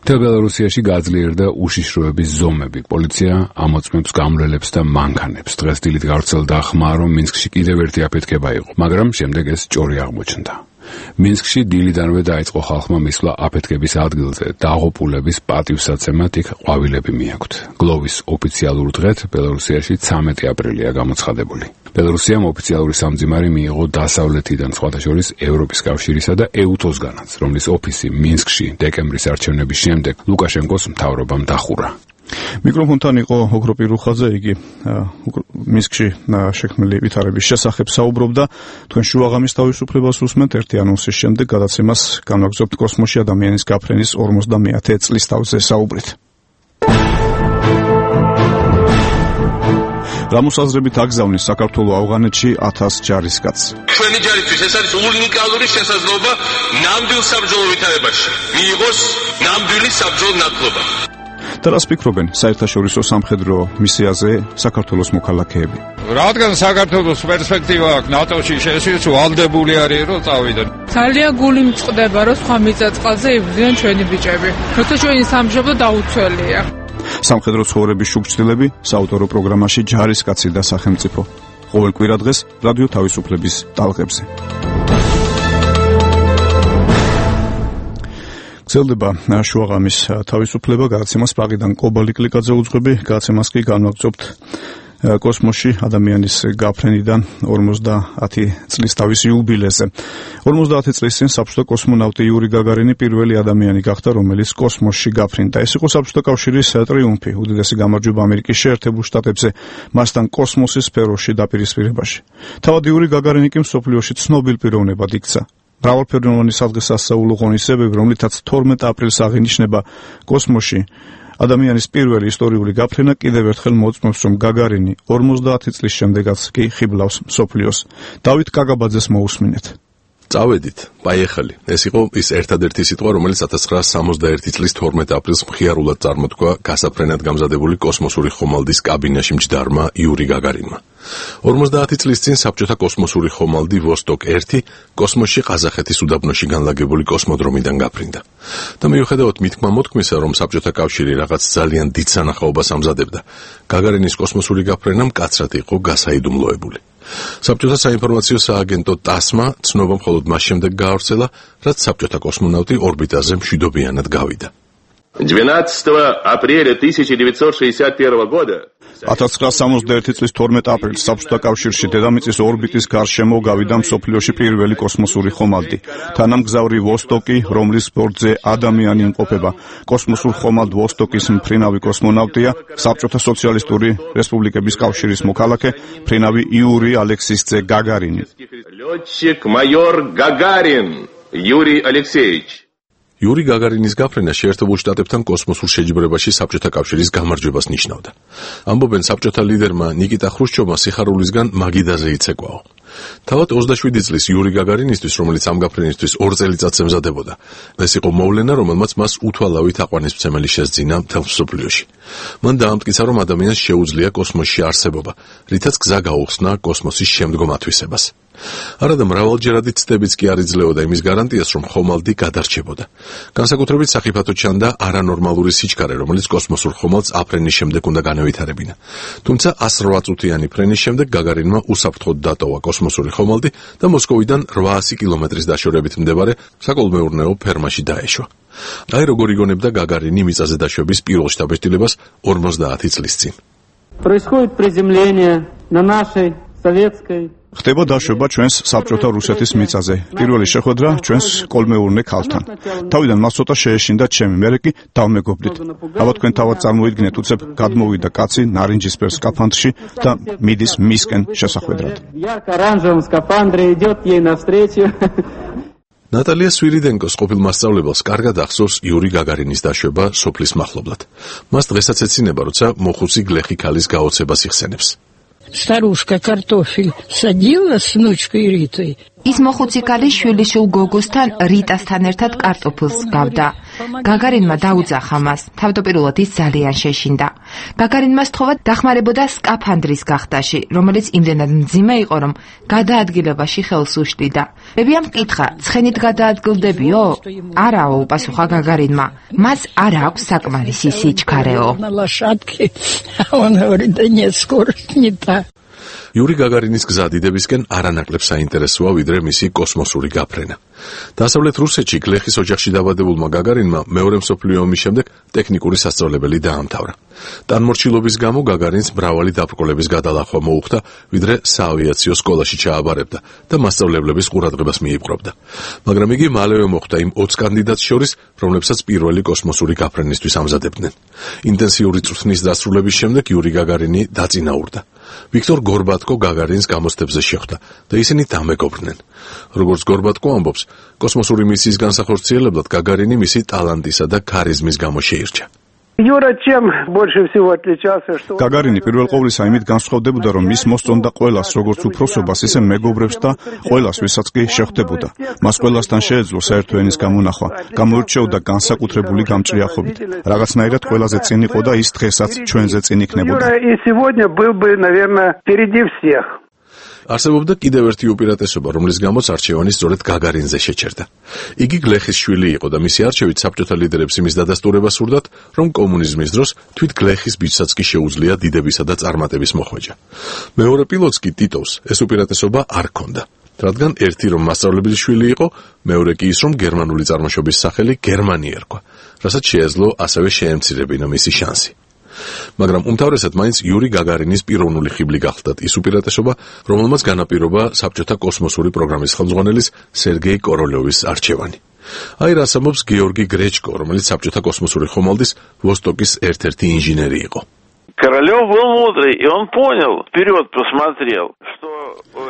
მთელ ბელარუსიაში გაძლიერდა უშიშროების ზომები. პოლიცია ამოწმებს გამრელებს და მანქანებს. დღეს დილით გავრცელდა ხმა, რომ მინსკში კიდევ ერთი აფეთქება იყო, მაგრამ შემდეგ ეს ჭორი აღმოჩნდა. მინსკში დილიდანვე დაიწყო ხალხმა მისვლა აფეთქების ადგილზე. დაღუპულების პატივსაცემად იქ ყვავილები მიაქვთ. გლოვის ოფიციალურ დღეთ ბელარუსიაში 13 აპრილია გამოცხადებული. ბელარუსიამ ოფიციალური სამძიმარი მიიღო დასავლეთიდან, სხვათა შორის ევროპის კავშირისა და EUTOS-განაც, რომლის ოფისი მინსკში დეკემბრის არჩევნების შემდეგ ლუკაშენკოს მთავრობამ დახურა. მიკროფონთან იყო ოქროპი რუხაძე, იგი მინსკში შექმნილი ვითარების შესახებ საუბრობდა. თქვენ შუაღამის თავისუფლებას უსმენთ. ერთი ანონსის შემდეგ გადაცემას განვაგრძობთ კოსმოსში ადამიანის გაფრენის 50-ე წლის თავზე საუბრით. რამოსაზრებით აგზავნის საქართველოს ავღანეთში 1000 ჯარისკაცს. ჩვენი ჯარისთვის ეს არის უნიკალური შესაძლებლობა ნამდვილ საბრძოლო ვითარებაში მიიღოს ნამდვილი საბრძოლო ნაკლობა. და რას ფიქრობენ საერთაშორისო სამხედრო მისიაზე საქართველოს მოქალაქეები? რადგან საქართველოს პერსპექტივა აქვს ნატოში, შეშიც ვალდებული არის რომ წავიდნენ. ძალიან გული მწყდება რომ სხვა მიწა-წყალზე იბრძვიან ჩვენი ბიჭები. როცა ჩვენი სამშობლო დაუცველია. სამხედრო ცხოვრების შუქჩილები საავტორო პროგრამაში ჯარისკაცი და სახელმწიფო. ყოველ კვირა დღეს რადიო თავისუფლების ტალღებზე. გრძელდება შუაღამის თავისუფლება, გადაცემას პაღიდან კობალი კლიკაძე უძღვები, გადაცემას კი განვაგრძობთ კოსმოსში ადამიანის გაფრენიდან 50 წლის თავის იუბილეზე. 50 წლის წინ საბჭოთა კოსმონავტი იური გაგარინი პირველი ადამიანი გახდა, რომელიც კოსმოსში გაფრინდა. ეს იყო საბჭოთა კავშირის ტრიუმფი, უდიდესი გამარჯვება ამერიკის შეერთებულ შტატებზე, მასთან კოსმოსის სფეროში დაპირისპირებაში. თავად იური გაგარინი კი მსოფლიოში ცნობილ პიროვნებად იქცა. მრავალფეროვანი სადღესასწაულო ღონისძიებები, რომლითაც 12 აპრილს აღინიშნება კოსმოსში ადამიანის პირველი ისტორიული გაფრენა, კიდევ ერთხელ მოწმობს, რომ გაგარინი 50 წლის შემდეგაც კი ხიბლავს მსოფლიოს. დავით კაგაბაძეს მოусმინეთ. წავედით, პაიეხალი. ეს იყო ის ერთადერთი სიტყვა, რომელიც 1961 წლის 12 აპრილს მხიარულად წარმოთქვა გასაფრენად გამზადებული კოსმოსური ხომალდის კაბინაში მჯდარმა იური გაგარინმა. 50 წლის წინ საბჭოთა კოსმოსური ხომალდი ვოსტოკ-1 კოსმოსში ყაზახეთის უდაბნოში განლაგებული კოსმოდრომიდან გაფრინდა. და მიუხედავად მითქმა-მოთქმისა, რომ საბჭოთა კავშირი რაღაც ძალიან დიდ სანახაობას ამზადებდა, გაგარინის კოსმოსური გაფრენა მკაცრად იყო გასაიდუმლოებული. საბჭოთა საინფორმაციო სააგენტო TASS-მა ცნობა მხოლოდ მას შემდეგ გაავრცელა, რაც საბჭოთა კოსმონავტი ორბიტაზე მშვიდობიანად გავიდა. 12 апреля 1961 года 1961 წლის 12 აპრილს საბჭოთა კავშირში დედამიწის ორბიტის გარშემო გავიდა მსოფლიოში პირველი კოსმოსური ხომალდი. თანამგზავრი ვოსტოკი, რომლის ბორტზე ადამიანი იმყოფება. კოსმოსურ ხომალდ ვოსტოკის მფრინავი კოსმონავტია საბჭოთა სოციალისტური რესპუბლიკების კავშირის მოქალაქე მფრინავი იური ალექსისძე გაგარინი. Лётчик майор Гагарин Юрий Алексеевич. იური გაგარინის გაფრენა შეერთებულ შტატებთან კოსმოსურ შეჯიბრებაში საბჭოთა კავშირის გამარჯვებას ნიშნავდა. ამბობენ საბჭოთა ლიდერმა ნიკიტა ხრუშჩოვმა სიხარულისგან მაგიდაზე იცეკვაო. თავად 27 წლის იური გაგარინისთვის, რომელიც ამ გაფრენისთვის 2 წელიწადს ემზადებოდა, ეს იყო მოვლენა, რომელმაც მას უთვალავით აყვანისმცემელი შესძინა მთელ მსოფლიოში. მან დაამტკიცა, რომ ადამიანს შეუძლია კოსმოსში არსებობა, რითაც გზა გაუხსნა კოსმოსის შემდგომ ათვისებას. არადა მრავალჯერადი ცდებიც კი არ იძლეოდა იმის გარანტიას, რომ ხომალდი გადარჩებოდა. განსაკუთრებით სახიფათო ჩანდა არანორმალური სიჩქარე, რომელიც კოსმოსურ ხომალდს აფრენის შემდეგ უნდა განავითარებინა. თუმცა 108 წუთიანი ფრენის შემდეგ გაგარინმა უსაფრთხოდ დატოვა კოსმოსური ხომალდი და მოსკოვიდან 800 კილომეტრის დაშორებით მდებარე საკოლმეურნეო ფერმაში დაეშვა. აი როგორ იგონებდა გაგარინი მიწაზე დაშვების პირველ შთაბეჭდილებას 50 წლის წინ. Происходит приземление на нашей советской ხდება დაშვება ჩვენს საბჭოთა რუსეთის მიწაზე. პირველი შეხვედრა ჩვენს კოლმეურნე ქალთან. თავიდან მას ცოტა შეეშინდა ჩემი, მერე კი დავმეგობრდით. ალბათ თქვენ თავად წარმოიდგინეთ, უცებ გადმოვიდა კაცი ნარინჯისფერ სკაფანდრში და მიდის მისკენ შესახვედრად. ярко-оранжевом скафандре идет ей навстречу. ნატალია სვირიდენკოს ყოფილ მასწავლებელს კარგად ახსოვს იური გაგარინის დაშვება სოფლის მახლობლად. მას დღესაც ეცინება, როცა მოხუცი გლეხი ქალის გაოცებას იხსენებს. Старушка картофель садила с внучкой Ритой. ის მოხუცი ქალი შვილიშვილ გოგოსთან რიტასთან ერთად კარტოფილს გავდა. გაგარინმა დაუძახა მას. თავდაპირველად ის ძალიან შეშინდა. გაგარინმა სთხოვა დახმარებოდა სკაფანდრის გახდაში, რომელიც იმდენად მძიმე იყო, რომ გადაადგილებაში ხელს უშლიდა. ბებიამ მკითხა, ცხენით გადაადგილდებიო? არაო, უპასუხა გაგარინმა. მას არ აქვს საკმარისი სიჩქარეო. იური გაგარინის გზა დიდებისკენ არანაკლებ საინტერესოა, ვიდრე მისი კოსმოსური გაფრენა. დასავლეთ რუსეთში გლეხის ოჯახში დაბადებულმა გაგარინმა მეორე მსოფლიო ომის შემდეგ ტექნიკური სასწავლებელი დაამთავრა. ტანმორჩილობის გამო გაგარინს მრავალი დაბრკოლების გადალახვა მოუხდა, ვიდრე საავიაციო სკოლაში ჩააბარებდა და მასწავლებლების ყურადღებას მიიპყრობდა. მაგრამ იგი მალევე მოხვდა იმ 20 კანდიდატს შორის, რომლებსაც პირველი კოსმოსური გაფრენისთვის ამზადებდნენ. ინტენსიური წვრთნის დასრულების შემდეგ იური გაგარინი დაწინაურდა. ვიქტორ გორბატკო გაგარინს გამოცდებზე შეხვდა და ისინი დამეგობრდნენ. როგორც გორბატკო ამბობს, კოსმოსური მისიის განსახორციელებლად გაგარინი მისი ტალანტისა და ქარიზმის გამო შეირჩა. Юра чем больше всего отличался, что გაგარინი პირველ ყოვლისა იმით განსხვავდებოდა, რომ მის მოსწონდა ყველას, როგორც უფროსობას, ისე მეგობრებს და ყველას, ვისაც კი შეხვდებოდა. მას ყველასთან შეეძლო საერთო ენის გამონახვა, გამოირჩეოდა განსაკუთრებული გამჭრიახობით. რაღაცნაირად ყველაზე წინ იყო და ის დღესაც ჩვენზე წინ იქნებოდა. Юра и сегодня был бы, наверное, впереди всех. არსებობდა კიდევ ერთი უპირატესობა, რომლის გამოც არჩევანი სწორედ გაგარინზე შეჩერდა. იგი გლეხის შვილი იყო და მისი არჩევით საბჭოთა ლიდერებს იმის დადასტურება სურდათ, რომ კომუნიზმის დროს თვით გლეხის ბიჭსაც კი შეუძლია დიდებისა და წარმატების მოხვეჭა. მეორე პილოტს კი ტიტოვს ეს უპირატესობა არ ჰქონდა. რადგან ერთი რომ მასწავლებელი შვილი იყო, მეორე კი ის რომ გერმანული წარმოშობის სახელი გერმანი ერქვა, რასაც შეეძლო ასევე შეემცირებინა მისი შანსი. მაგრამ უმთავრესად მაინც იური გაგარინის პიროვნული ხიბლი გახლდათ ის უპირატესობა, რომელმაც განაპირობა საბჭოთა კოსმოსური პროგრამის ხელმძღვანელის სერგეი კოროლიოვის არჩევანი. აი რას ამბობს გეორგი გრეჩკო, რომელიც საბჭოთა კოსმოსური ხომალდის ვოსტოკის ერთ-ერთი ინჟინერი იყო. Королёв был мудрый, и он понял, вперед посмотрел, что...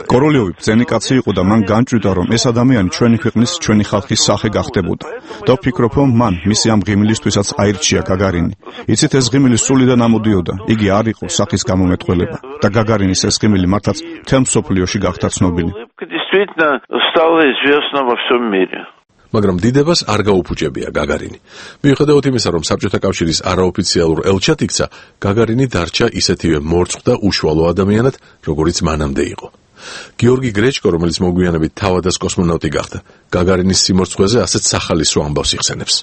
კოროლიოვი ბრძენი კაცი იყო და მან განჭვიდა, რომ ეს ადამიანი ჩვენი ქვეყნის, ჩვენი ხალხის სახე გახდებოდა. და ვფიქრობ, რომ მან მისი ამ ღიმილისთვისაც აირჩია გაგარინი. იცით, ეს ღიმილი სულიდან ამოდიოდა. იგი არ იყო სახის გამომეტყველება და გაგარინის ეს ღიმილი მართლაც მთელ მსოფლიოში გახდა ცნობილი. Действительно стало известно во всем мире. მაგრამ დიდებას არ გაუფუჭებია გაგარინი. მიუხედავად იმისა, რომ საბჭოთა კავშირის არაოფიციალურ ელჩად იქცა, გაგარინი დარჩა ისეთივე მორწყვ და უშუალო ადამიანად, როგორიც მანამდე იყო. გეორგი გრეჩკო, რომელიც მოგვიანებით თავადას კოსმონავტი გახდა, გაგარინის სიმორწყვეზე ასეთ სახალისო ამბავს იხსენებს.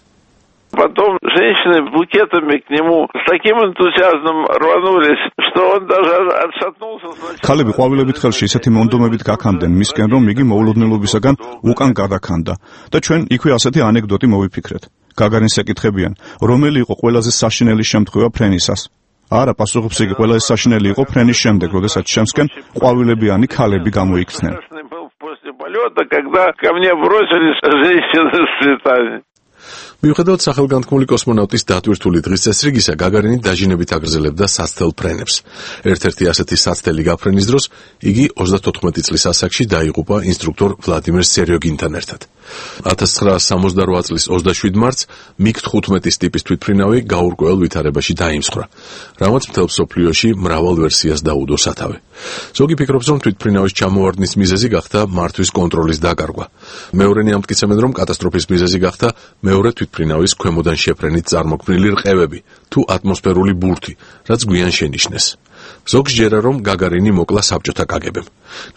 Потом женщины букетами к нему с таким энтузиазмом рванулись, что он даже отшатнулся. ქალები ყვავილებით ხელში ისეთი მონდომებით გაქამდენ მისკენ, რომ იგი მოულოდნელობისაგან უკან გადაქანდა და ჩვენ იქვე ასეთი ანეკდოტი მოვიფიქრეთ. გაგარინს ეკითხებიან, რომელი იყო ყველაზე საშინელი შემთხვევა ფრენისას. არა, პასუხობს იგი, ყველაზე საშინელი იყო ფრენის შემდეგ, როდესაც შემსკენ ყვავილებიანი ქალები გამოიქცნენ. Полета, когда ко мне бросились женщины с цветами. მიუხედავად სახელგანთქმული კოსმონავტის დატვირთული დღის წესრიგისა, გაგარინი დაჟინებით აგრძელებდა საცდელ ფრენებს. ერთ-ერთი ასეთი საცდელი გაფრენის დროს იგი 34 წლის ასაკში დაიღუპა ინსტრუქტორ ვლადიმერ სერიოგინთან ერთად. 1968 წლის 27 მარტს MiG-15 ტიპის თვითმფრინავი გაურკვეველ ვითარებაში დაიმსხვრა, რამაც მთელ მსოფლიოში მრავალ ვერსიას დაუდო სათავე. ზოგი ფიქრობს, რომ თვითმფრინავის ჩამოვარდნის მიზეზი გახდა მართვის კონტროლის დაკარგვა. მეორენი ამტკიცებენ, რომ კატასტროფის მიზეზი გახდა მეორე თვითმფრინავის ქვემოდან შეფრენით წარმოქმნილი რყევები თუ ატმოსფერული ბურთი, რაც გვიან შენიშნეს. ზოგს ჯერა, რომ გაგარინი მოკლა საბჭოთა კაგებემ.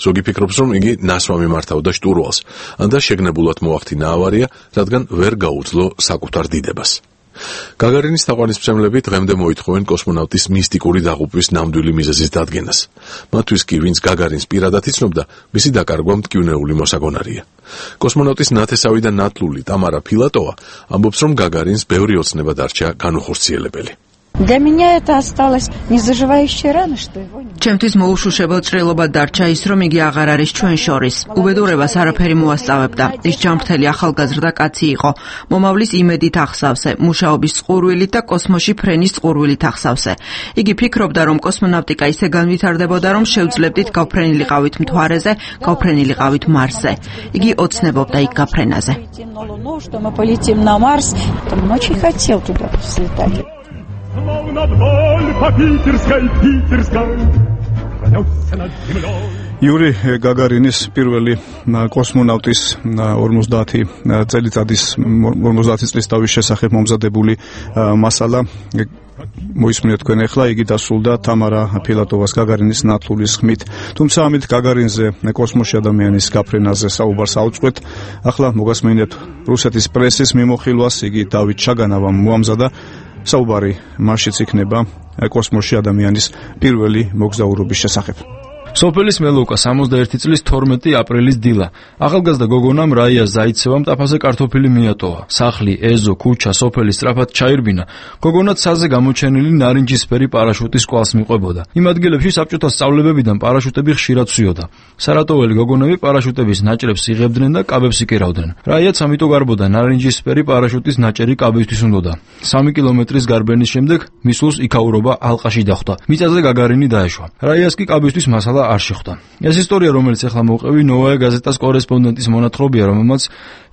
ზოგი ფიქრობს, რომ იგი ნასვამი მართავდა შტურვალს, ანდა შეგნებულად მოახდინა ავარია, რადგან ვერ გაუძლო საკუთარ დიდებას. გაგარინის თაყვანისმცემლები დღემდე მოითხოვენ კოსმონავტის მისტიკური დაღუპვის ნამდვილი მიზეზის დადგენას. მათთვის კი, ვინც გაგარინს პირადად იცნობდა, მისი დაკარგვა მტკივნეული მოსაგონარია. კოსმონავტის ნათესავი და ნათლული ტამარა ფილატოვა ამბობს, რომ გაგარინს ბევრი ოცნება დარჩა განუხორციელებელი. Для меня это осталось незаживающей раной, что его нет. ჩემთვის მოუშუშებელ ჭრილობა დარჩა ის, რომ იგი აღარ არის ჩვენ შორის. უბედურებას არაფერი მოასწავებდა. ის ჯანმრთელი ახალგაზრდა კაცი იყო. მომავლის იმედით ახსავსე, მუშაობის წყურვილით და კოსმოსში ფრენის წყურვილით ახსავსე. იგი ფიქრობდა, რომ კოსმონავტიკა ისე განვითარდებოდა, რომ შევძლებდით გავფრენილიყავით მთვარეზე, გავფრენილიყავით მარსზე. იგი ოცნებობდა იქ გაფრენაზე. Словно вдоль по питерской, Yuri Gagarinis პირველი კოსმონავტის 50 წლის დავის შესახებ მომზადებული მასალა მოისმინეთ თქვენ ახლა, იგი დასრულდა თამარა ფილატოვას გაგარინის ნათლულის ხმით. თუმცა ამით გაგარინზე კოსმოსში ადამიანის გაფრენაზე საუბარს აუწყვეთ. ახლა მოგასმინეთ რუსეთის პრესის მიმოხილვას, იგი დავით ჩაგანავამ მოამზადა. საუბარი მასშიც იქნება კოსმოსში ადამიანის პირველი მოგზაურობის შესახებ. სოფელის მელოუკა 61 წლის 12 აპრილის დილა. ახალგაზრდა გოგონამ რაია ზაიცევამ ტაფაზე კარტოფილი მიატოვა. სახლი, ეზო, ქუჩა, სოფელი სწრაფად ჩაირბინა. გოგონა ცაზე გამოჩენილი ნარინჯისფერი პარაშუტის კვალს მიყვებოდა. იმ ადგილებში საბჭოთა სწავლებებიდან პარაშუტები ხშირად სვიოდა. სარატოველი გოგონები პარაშუტების ნაჭრებს იღებდნენ და კაბებს იკერავდნენ. რაიაც ამიტომ გარბოდა ნარინჯისფერი პარაშუტის ნაჭერი კაბისთვის უნდოდა. 3 კილომეტრის გარბენის შემდეგ მისულს იქაურობა ალყაში დახვდა. მიწაზე გაგარინი დაეშვა. რაიას კი კაბისთვის მასალა არ შეხვდა. ეს ისტორია, რომელიც ახლა მოვყევი, ნოვაია გაზეტას კორესპონდენტის მონათხრობია, რომელმაც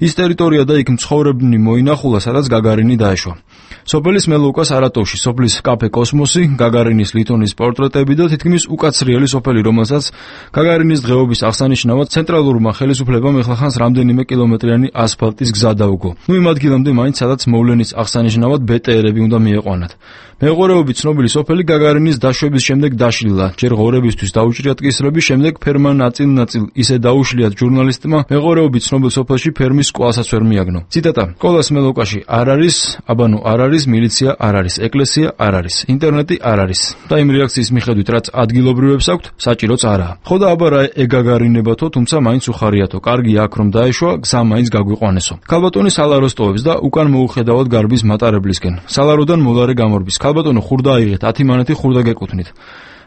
ის ტერიტორია და იქ მცხოვრებნი მოინახულა, სადაც გაგარინი დაეშვა. სოფელის მელოუკა სარატოვში, სოფლის კაფე კოსმოსი, გაგარინის ლითონის პორტრეტები და თითქმის უკაცრიელი სოფელი, რომელსაც გაგარინის დღეობის აღსანიშნავად ცენტრალურმა ხელისუფლებამ ეხლახანს რამდენიმე კილომეტრიანი ასფალტის გზა დაუგო. იმ ადგილამდე მაინც სადაც მოვლენის აღსანიშნავად ბეტერები უნდა მieყვანათ. მეღორეობით ცნობილი სოფელი გაგარინის დაშვების შემდეგ დაშლილა. ჯერ ღორებისთვის დაუჭრიათ კისრები, შემდეგ ფერმა ნაწილ-ნაწილ ისე დაუშლიათ ჟურნალისტმა, მეღორეობით ცნობილ სოფელში ფერმის კვალსაც ვერ მიაგნო. ციტატა: "კოლას მელოუკაში არ არის, აბანო არ არის, მილიცია არ არის, ეკლესია არ არის, ინტერნეტი არ არის." და იმ რეაქციის მიხედვით, რაც ადგილობრივებს აქვთ, საჭიროც არაა. ხო და აბა რა ეგაგარინებათო, თუმცა მაინც უხარიათო. კარგი აქ რომ დაეშვა, გზა მაინც გაგვიყვანესო. ქალბატონი სალაროს ტოვებს და უკან მოუხედავად გარბის მატარებლისკენ. სალაროდან მოლარე გამორბის. ქალბატონო ხურდა აიღეთ, 10 მანეთი ხურდა გეკუთვნით.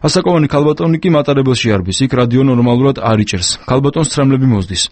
ასაკოვანი ქალბატონი კი მატარებელში არბის, იქ რადიო ნორმალურად არ იჭერს. ქალბატონს ცრემლები მოსდის.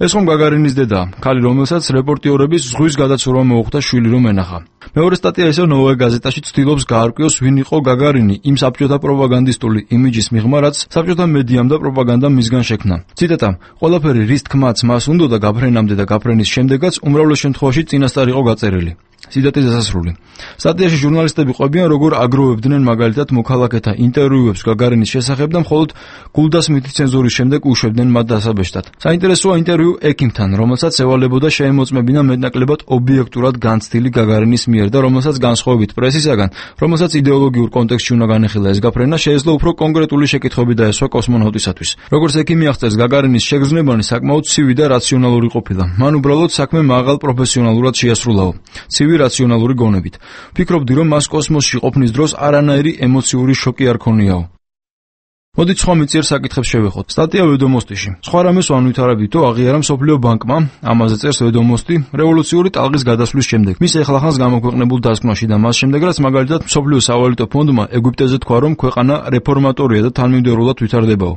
ეს ხომ გაგარინის დედაა, ქალი, რომელსაც რეპორტიორების ზღვის გადაცურვა მოუხდა შვილი რომ ენახა. მეორე სტატია ისევ ნოვაია გაზეტაში ცდილობს გაარკვიოს, ვინ იყო გაგარინი იმ საბჭოთა პროპაგანდისტული იმიჯის მიღმა, რაც საბჭოთა მედიამ და პროპაგანდამ მისგან შექმნა. ციტატა: "ყველაფერი რის თქმაც მას უნდოდა გაფრენამდე და გაფრენის შემდეგაც უმრავლეს შემთხვევაში წინასწარ იყო გაწერილი." ციტატის დასასრული. სტატიაში ჟურნალისტები ყვებიან, როგორ აგროვებდნენ მაგალითად მოქალაქეთა ინტერვიუებს გაგარინის შესახებ და მხოლოდ გულდას მითი ცენზურის შემდეგ უშვებდნენ მათ დასაბეჭდად. საინტერესოა ინტერვიუ ექიმთან, რომელსაც ევალებოდა შეემოწმებინა მეტნაკლებად ობიექტურად განცდილი გაგარინის მიერ და რომელსაც განსხვავებით პრესისაგან, რომელსაც იდეოლოგიურ კონტექსტში უნდა განეხილა ეს გაფრენა, შეეძლო უფრო კონკრეტული შეკითხვები დაესვა კოსმონავტისათვის. როგორც ექიმი აღწერს, გაგარინის შეგრძნებანი საკმაოდ ცივი და რაციონალური ყოფილა. მან უბრალოდ საქმე მაღალ პროფესიონალურად შეასრულაო. ცივი იგივე რაციონალური გონებით. ვფიქრობდი, რომ მას კოსმოსში ყოფნის დროს არანაირი ემოციური შოკი არ ქონიაო. მოდით სხვა მიწიერ საკითხებს შევეხოთ. სტატია ვედომოსტიში. სხვა რამეს ვანვითარებითო აღიარა მსოფლიო ბანკმა, ამაზე წერს ვედომოსტი, რევოლუციური ტალღის გადასვლის შემდეგ. მის ეხლახანს გამოქვეყნებულ დასკვნაში და მას შემდეგ, რაც მაგალითად მსოფლიო სავალუტო ფონდმა ეგვიპტეზე თქვა, რომ ქვეყანა რეფორმატორია და თანმიმდევრულად ვითარდებაო.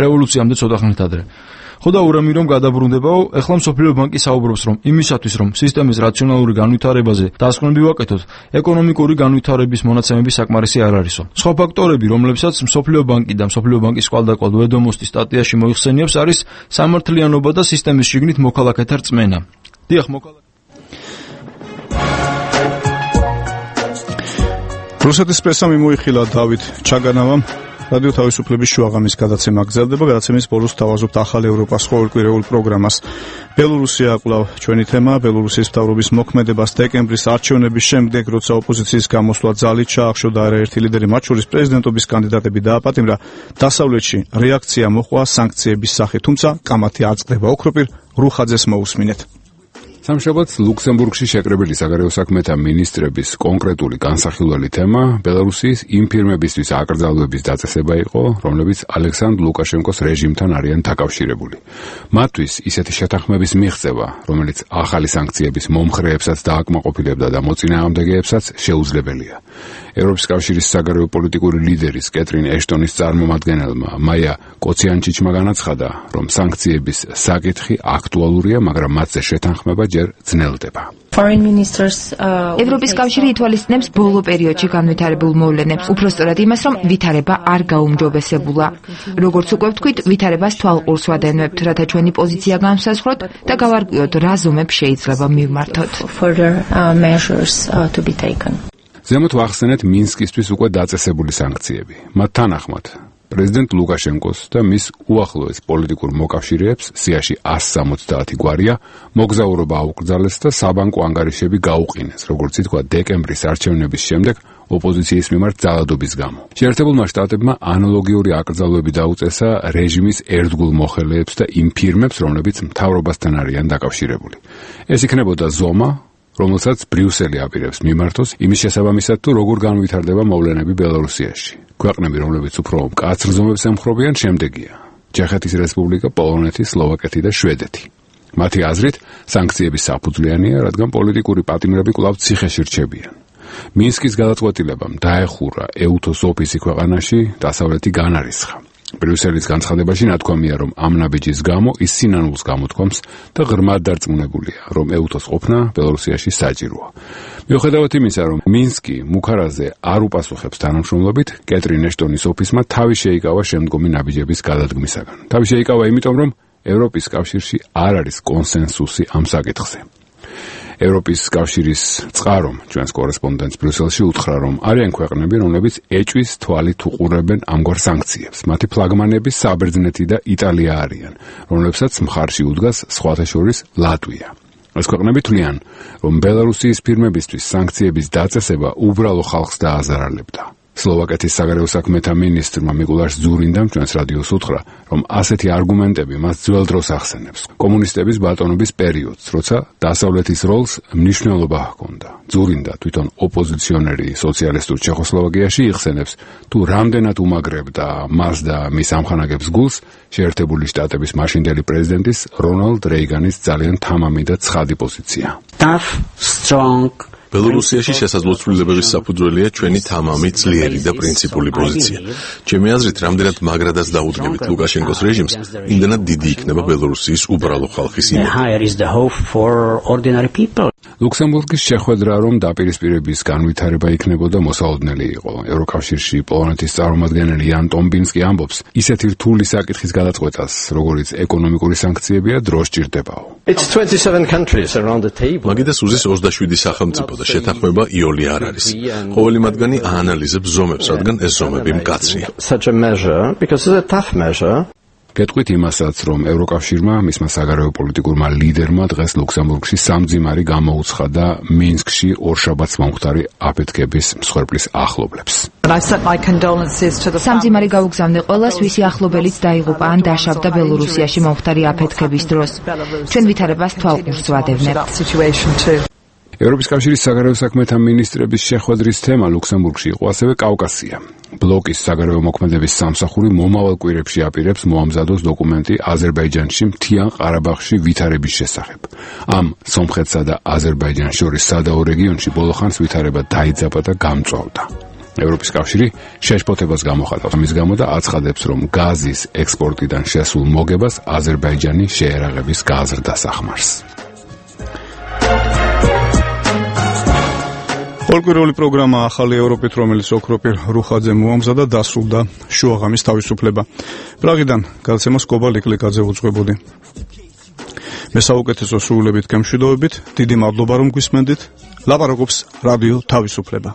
რევოლუციამდე ცოტა ხნით ადრე. ხო და ურამი რომ გადაბრუნდებაო, ეხლა მსოფლიო ბანკი საუბრობს, რომ იმისათვის, რომ სისტემის რაციონალური განვითარებაზე დასკვნები ვაკეთოთ, ეკონომიკური განვითარების მონაცემები საკმარისი არ არისო. სხვა ფაქტორები, რომლებსაც მსოფლიო ბანკი და მსოფლიო ბანკის კვალდაკვალ ვედომოსტის სტატიაში მოიხსენიებს, არის სამართლიანობა და სისტემის შიგნით მოქალაქეთა რწმენა. დიახ, რუსეთის პრესამ მოიხილა დავით ჩაგანავამ რადიო თავისუფლების შუაღამის გადაცემა გრძელდება. გადაცემის ბოლოს თავაზობთ ახალ ევროპას ყოველკვირეულ პროგრამას. ბელორუსია კვლავ ჩვენი თემა. ბელორუსის მთავრობის მოქმედებას დეკემბრის არჩევნების შემდეგ, როცა ოპოზიციის გამოსვლა ძალით ჩაახშო და არაერთი ლიდერი, მათ შორის პრეზიდენტობის კანდიდატები დააპატიმრა, დასავლეთში რეაქცია მოჰყვა სანქციების სახით, თუმცა კამათი არ წყდება. ოქროპირ რუხაძეს მოусმინეთ. სამშაბათს ლუქსემბურგში შეკრებილი საგარეო საქმეთა მინისტრების კონკრეტული განსახილველი თემა ბელარუსის იმ ფირმებისთვის აკრძალვების დაწესება იყო, რომლებიც ალექსანდრ ლუკაშენკოს რეჟიმთან არიან დაკავშირებული. მათთვის ისეთი შეთანხმების მიღწევა, რომელიც ახალი სანქციების მომხრეებსაც დააკმაყოფილებდა და მოწინააღმდეგეებსაც შეუძლებელია. ევროპის კავშირის საგარეო პოლიტიკური ლიდერის კეტრინ ეშტონის წარმომადგენელმა მაია კოციანჩიჩმა განაცხადა, რომ სანქციების საკითხი აქტუალურია, მაგრამ მათზე შეთანხმება ჯერ ძნელდება. ევროპის კავშირი ითვალისწინებს ბოლო პერიოდში განვითარებულ მოვლენებს, უпростоრად იმას, რომ ვითარება არ გაუმჯობესებულა. როგორც უკვე ვთქვით, ვითარებას თვალყურს ვადენებთ, რათა ჩვენი პოზიცია განსაზღვროთ და გავარკვიოთ, რა ზომებს შეიძლება მივმართოთ. ზემოთ ვახსენეთ მინსკისთვის უკვე დაწესებული სანქციები. მათ თანახმად პრეზიდენტ ლუკაშენკოს და მის უახლოეს პოლიტიკურ მოკავშირეებს სიაში 170 გვარია მოგზაურობა აუკრძალეს და საბანკო ანგარიშები გაუყინეს, როგორც ითქვა დეკემბრის არჩევნების შემდეგ ოპოზიციის მიმართ ძალადობის გამო. შეერთებულმა შტატებმა ანალოგიური აკრძალვები დაუწესა რეჟიმის ერთგულ მოხელეებს და იმ ფირმებს, რომლებიც მთავრობასთან არიან დაკავშირებული. ეს იქნებოდა ზომა, რომელსაც ბრიუსელი აპირებს მიმართოს იმის შესაბამისად, თუ როგორ განვითარდება მოვლენები ბელარუსიაში. ქვეყნები, რომლებიც უფრო მკაცრ ზომებს ემხრობიან, შემდეგია: ჩეხეთის რესპუბლიკა, პოლონეთი, სლოვაკეთი და შვედეთი. მათი აზრით, სანქციების საფუძვლიანია, რადგან პოლიტიკური პატიმრები კვლავ ციხეში რჩებიან. მინსკის გადაწყვეტილებამ დაეხურა ეუთოს ოფისი ქვეყანაში, დასავლეთი განარისხა. ბრიუსელის განცხადებაში ნათქვამია, რომ ამ ნაბიჯის გამო ის სინანულს გამოთქვამს და ღრმად დარწმუნებულია, რომ ეუთოს ყოფნა ბელარუსიაში საჭიროა. მიუხედავად იმისა, რომ მინსკი მუქარაზე არ უპასუხებს თანამშრომლობით, კეტრინ ეშტონის ოფისმა თავი შეიკავა შემდგომი ნაბიჯების გადადგმისაგან. თავი შეიკავა იმიტომ, რომ ევროპის კავშირში არ არის კონსენსუსი ამ საკითხზე. ევროპის კავშირის წყარომ ჩვენს კორესპონდენტს ბრიუსელში უთხრა, რომ არიან ქვეყნები, რომლებიც ეჭვის თვალით უყურებენ ამგვარ სანქციებს. მათი ფლაგმანები საბერძნეთი და იტალია არიან, რომლებსაც მხარში უდგას სხვათა შორის ლატვია. ეს ქვეყნები თვლიან, რომ ბელარუსის ფირმებისთვის სანქციების დაწესება უბრალო ხალხს დააზარალებდა. სლოვაკეთის საგარეო საქმეთა მინისტრმა მიკულაშ ზურინდამ ჩვენს რადიოს უთხრა, რომ ასეთი არგუმენტები მას ძველ დროს ახსენებს. კომუნისტების ბატონობის პერიოდს, როცა დასავლეთის როლს მნიშვნელობა ჰქონდა. ზურინდა თვითონ ოპოზიციონერი სოციალისტურ ჩეხოსლოვაკიაში იხსენებს, თუ რამდენად უმაგრებდა მას და მის ამხანაგებს გულს შეერთებული შტატების მაშინდელი პრეზიდენტის რონალდ რეიგანის ძალიან თამამი და ცხადი პოზიცია. ბელორუსიაში შესაძლო ცვლილებების საფუძველია ჩვენი თამამი, ძლიერი და პრინციპული პოზიცია. ჩემი აზრით, რამდენად მაგრადაც დაუდგებით ლუკაშენკოს რეჟიმს, იმდენად დიდი იქნება ბელორუსიის უბრალო ხალხის იმედი. ლუქსემბურგის შეხვედრა, რომ დაპირისპირების განვითარება იქნებოდა, მოსალოდნელი იყო. ევროკავშირში პოლონეთის წარმომადგენელი იან ტომბინსკი ამბობს, ისეთი რთული საკითხის გადაწყვეტას, როგორიც ეკონომიკური სანქციებია, დრო სჭირდებაო. მაგიტას უზის 27 სახელმწიფო და შეთანხმება იოლი არ არის. ყოველი მათგანი აანალიზებს ზომებს, რადგან ეს ზომები მკაცრია. გეტყვით იმასაც, რომ ევროკავშირმა მისმა საგარეო პოლიტიკურმა ლიდერმა დღეს ლუქსემბურგში სამძიმარი გამოუცხადა მინსკში ორშაბათს მომხდარი აფეთქების მსხვერპლის ახლობლებს. სამძიმარი გაუგზავნე ყველას, ვისი ახლობელიც დაიღუპა ან დაშავდა ბელორუსიაში მომხდარი აფეთქების დროს. ჩვენ ვითარებას თვალყურს ვადევნებთ. ევროპის კავშირის საგარეო საქმეთა მინისტრების შეხვედრის თემა ლუქსემბურგში იყო ასევე კავკასია. ბლოკის საგარეო მოქმედების სამსახური მომავალ კვირებში აპირებს მოამზადოს დოკუმენტი აზერბაიჯანში მთიან ყარაბაღში ვითარების შესახებ. ამ სომხეთსა და აზერბაიჯანს შორის სადაო რეგიონში ბოლოხანს ვითარება დაიძაბა და გამწვავდა. ევროპის კავშირი შეშფოთებას გამოხატავს ამის გამო და აცხადებს, რომ გაზის ექსპორტიდან შესულ მოგებას აზერბაიჯანი შეერაღების გაზრდას ახმარს. პოლკურული პროგრამა ახალი ევროპით, რომელიც ოქროპირ რუხაძე მოამზადა, დასრულდა შუაღამის თავისუფლება. პრაღიდან გალცემას კობა ლიკლიკაძე უძღვებოდი. მე საუკეთესო სრულებით გემშვიდობებით, დიდი მადლობა რომ გვისმენდით. ლაპარაკობს რადიო თავისუფლება.